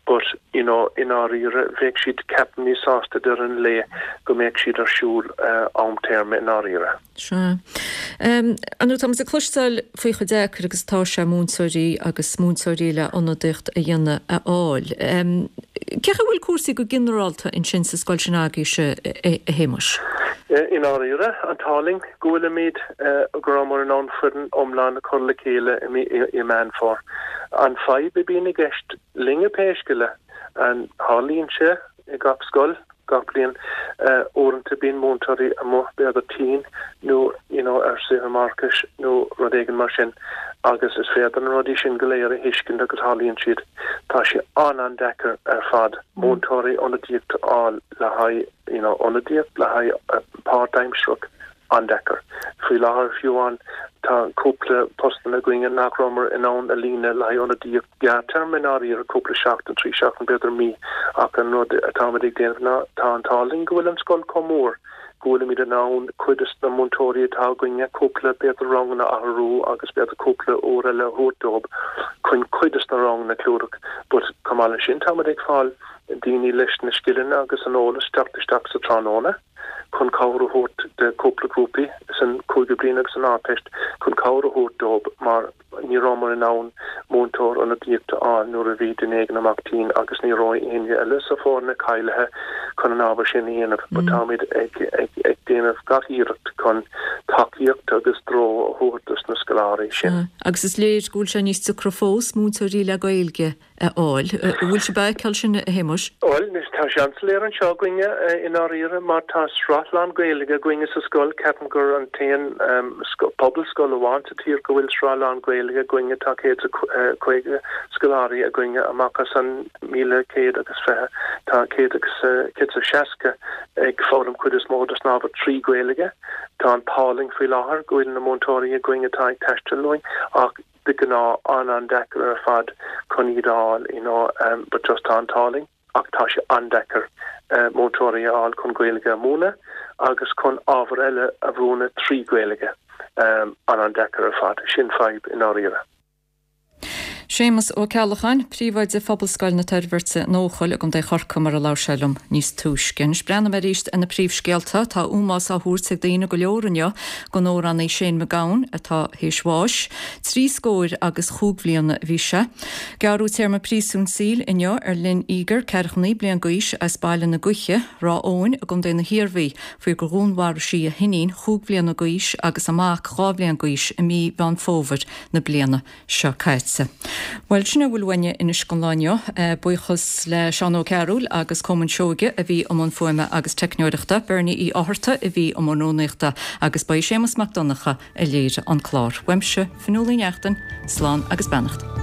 But, you know, i ndáiríre, bheadh siad, ceapaim, níos sásta deireadh an lae go mbeadh siad ar siúl am téarma i ndáiríre. Sea. Ar ndóigh, táimid ag cloisteáil faoi chomh deacair agus atá sé múinteoirí agus múinteoirí le ionadaíocht a dhéanamh a fháil. Cén chaoi a bhfuil cúrsaí go ginearálta ansin sa scoil sin agaibhse, a Shéamuis? I ndáiríre, an t-ádh linn go bhfuilimid, go rabhamar in ann foireann iomlán a chur le chéile i mí i Meán Fómhair. An fadhb a bhíonn i gceist linne pé scéal é, tarlaíonn sé i gach scoil gach bliain, uaireanta bíonn múinteoirí amuigh b'fhéidir tinn nó you know ar saoire máithreachais nó rud éigin mar sin agus is féidir na rudaí sin go léir a thuiscint agus tarlaíonn siad. Tá sé an-an-deacair ar fad múinteoirí ionadaíocht a fháil le haghaidh you know ionadaíocht le haghaidh páirtaimsearach. An-deacair. Faoi láthair, fiú amháin, tá cúpla postanna againne nach rabhamar in ann a líonadh le haghaidh ionadaíocht gearrtéarma i ndáiríre, cúpla seachtain, trí seachtain, b'fhéidir mí, ach an rud atáimid ag déanamh ná, tá an t-ádh linn go bhfuil an scoil chomh mór go bhfuilimid in ann cuid de na múinteoirí atá againne cúpla, b'fhéidir ranganna a athrú agus b'fhéidir cúpla uair eile a thabhairt dóibh chun cuid de na ranganna a chlúdach. But chomh maith leis sin, táimid ag fáil daoine leis na scileanna agus an eolas teacht isteach sa tráthnóna. chun cabhair a thabhairt do cúpla grúpaí san cúigiú bliain agus san Ardteist chun cabhair a thabhairt dóibh mar ní rabhamar in ann múinteoir ionadaíochta a fháil nuair a bhí duine éigin amach tinn agus ní raibh éinne eile sa foirne cáilithe chun an ábhar sin a dhéanamh but táimid ag ag ag déanamh gach iarracht chun tacaíocht agus treo a thabhairt dos na scoláirí sin. Agus is léir go bhfuil sé níos deacra fós múinteoirí le Gaeilge a fháil. An bhfuil sibh ag feiceáil sin, a Shéamuis? Bhuel, anois tá sé an-soiléir anseo againne i ndáiríre mar tá sraith lán-Ghaeilge againne sa scoil. Ceapaim gur an t-aon pobalscoil amháin sa tír go bhfuil sraith lán-Ghaeilge againne. Tá céad is caoga scoláirí againne amach as an míle céad agus fiche. Tá céad agus céad is seasca ag foghlaim cuid is mó dos na hábhair trí Ghaeilge. Tá an t-ádh linn faoi láthair go bhfuil na múinteoirí againn atá ag taisteal uainn ach de ghnáth an-an-deacair ar fad chun iad a fháil, you know, but just tá an t-ádh linn ach tá sé an-deacair múinteoirí a fháil chun Gaeilge a mhúineadh agus chun ábhair eile a mhúineadh trí Ghaeilge. An-an-deacair ar fad. Sin fadhb i ndáiríre. Séamus Ó Ceallacháin, Príomhoide Phobalscoil na Toirbhirte in Eochaill i gContae Chorcaí mar a labhair sé liom níos túisce. Anois breathnóidh mé arís ar na príomhscéalta. Tá ómós á thabhairt ag daoine go leor inniu don amhránaí Shane MacGowan atá théis bháis. Trí scór agus chúig bhliana a bhí sé. Gearradh téarma príosúin saoil inniu ar Lynn Eager, ceathracha naoi bliain d'aois as Baile na Gaoithe, Ráth Eoghain i gContae na hIarmhí, faoi gur dhúnmharaigh sí a hiníon chúig bhliana d'aois agus a mac dhá bhliain d'aois i mí Mheán Fómhair na bliana seo caite. Bhuel, sin a bhfuil uainne anois don lá inniu. Buíochas le Seán Ó Cearúil agus Colmán Seoige a bhí i mbun fuaime agus teicneoireachta, Bernie Uí Fhátharta a bhí i mbun rúnaíochta agus ba é Séamus Mac Donncha a léirigh an clár. Uaimse, Fionnuala Ní Neachtain, slán agus beannacht.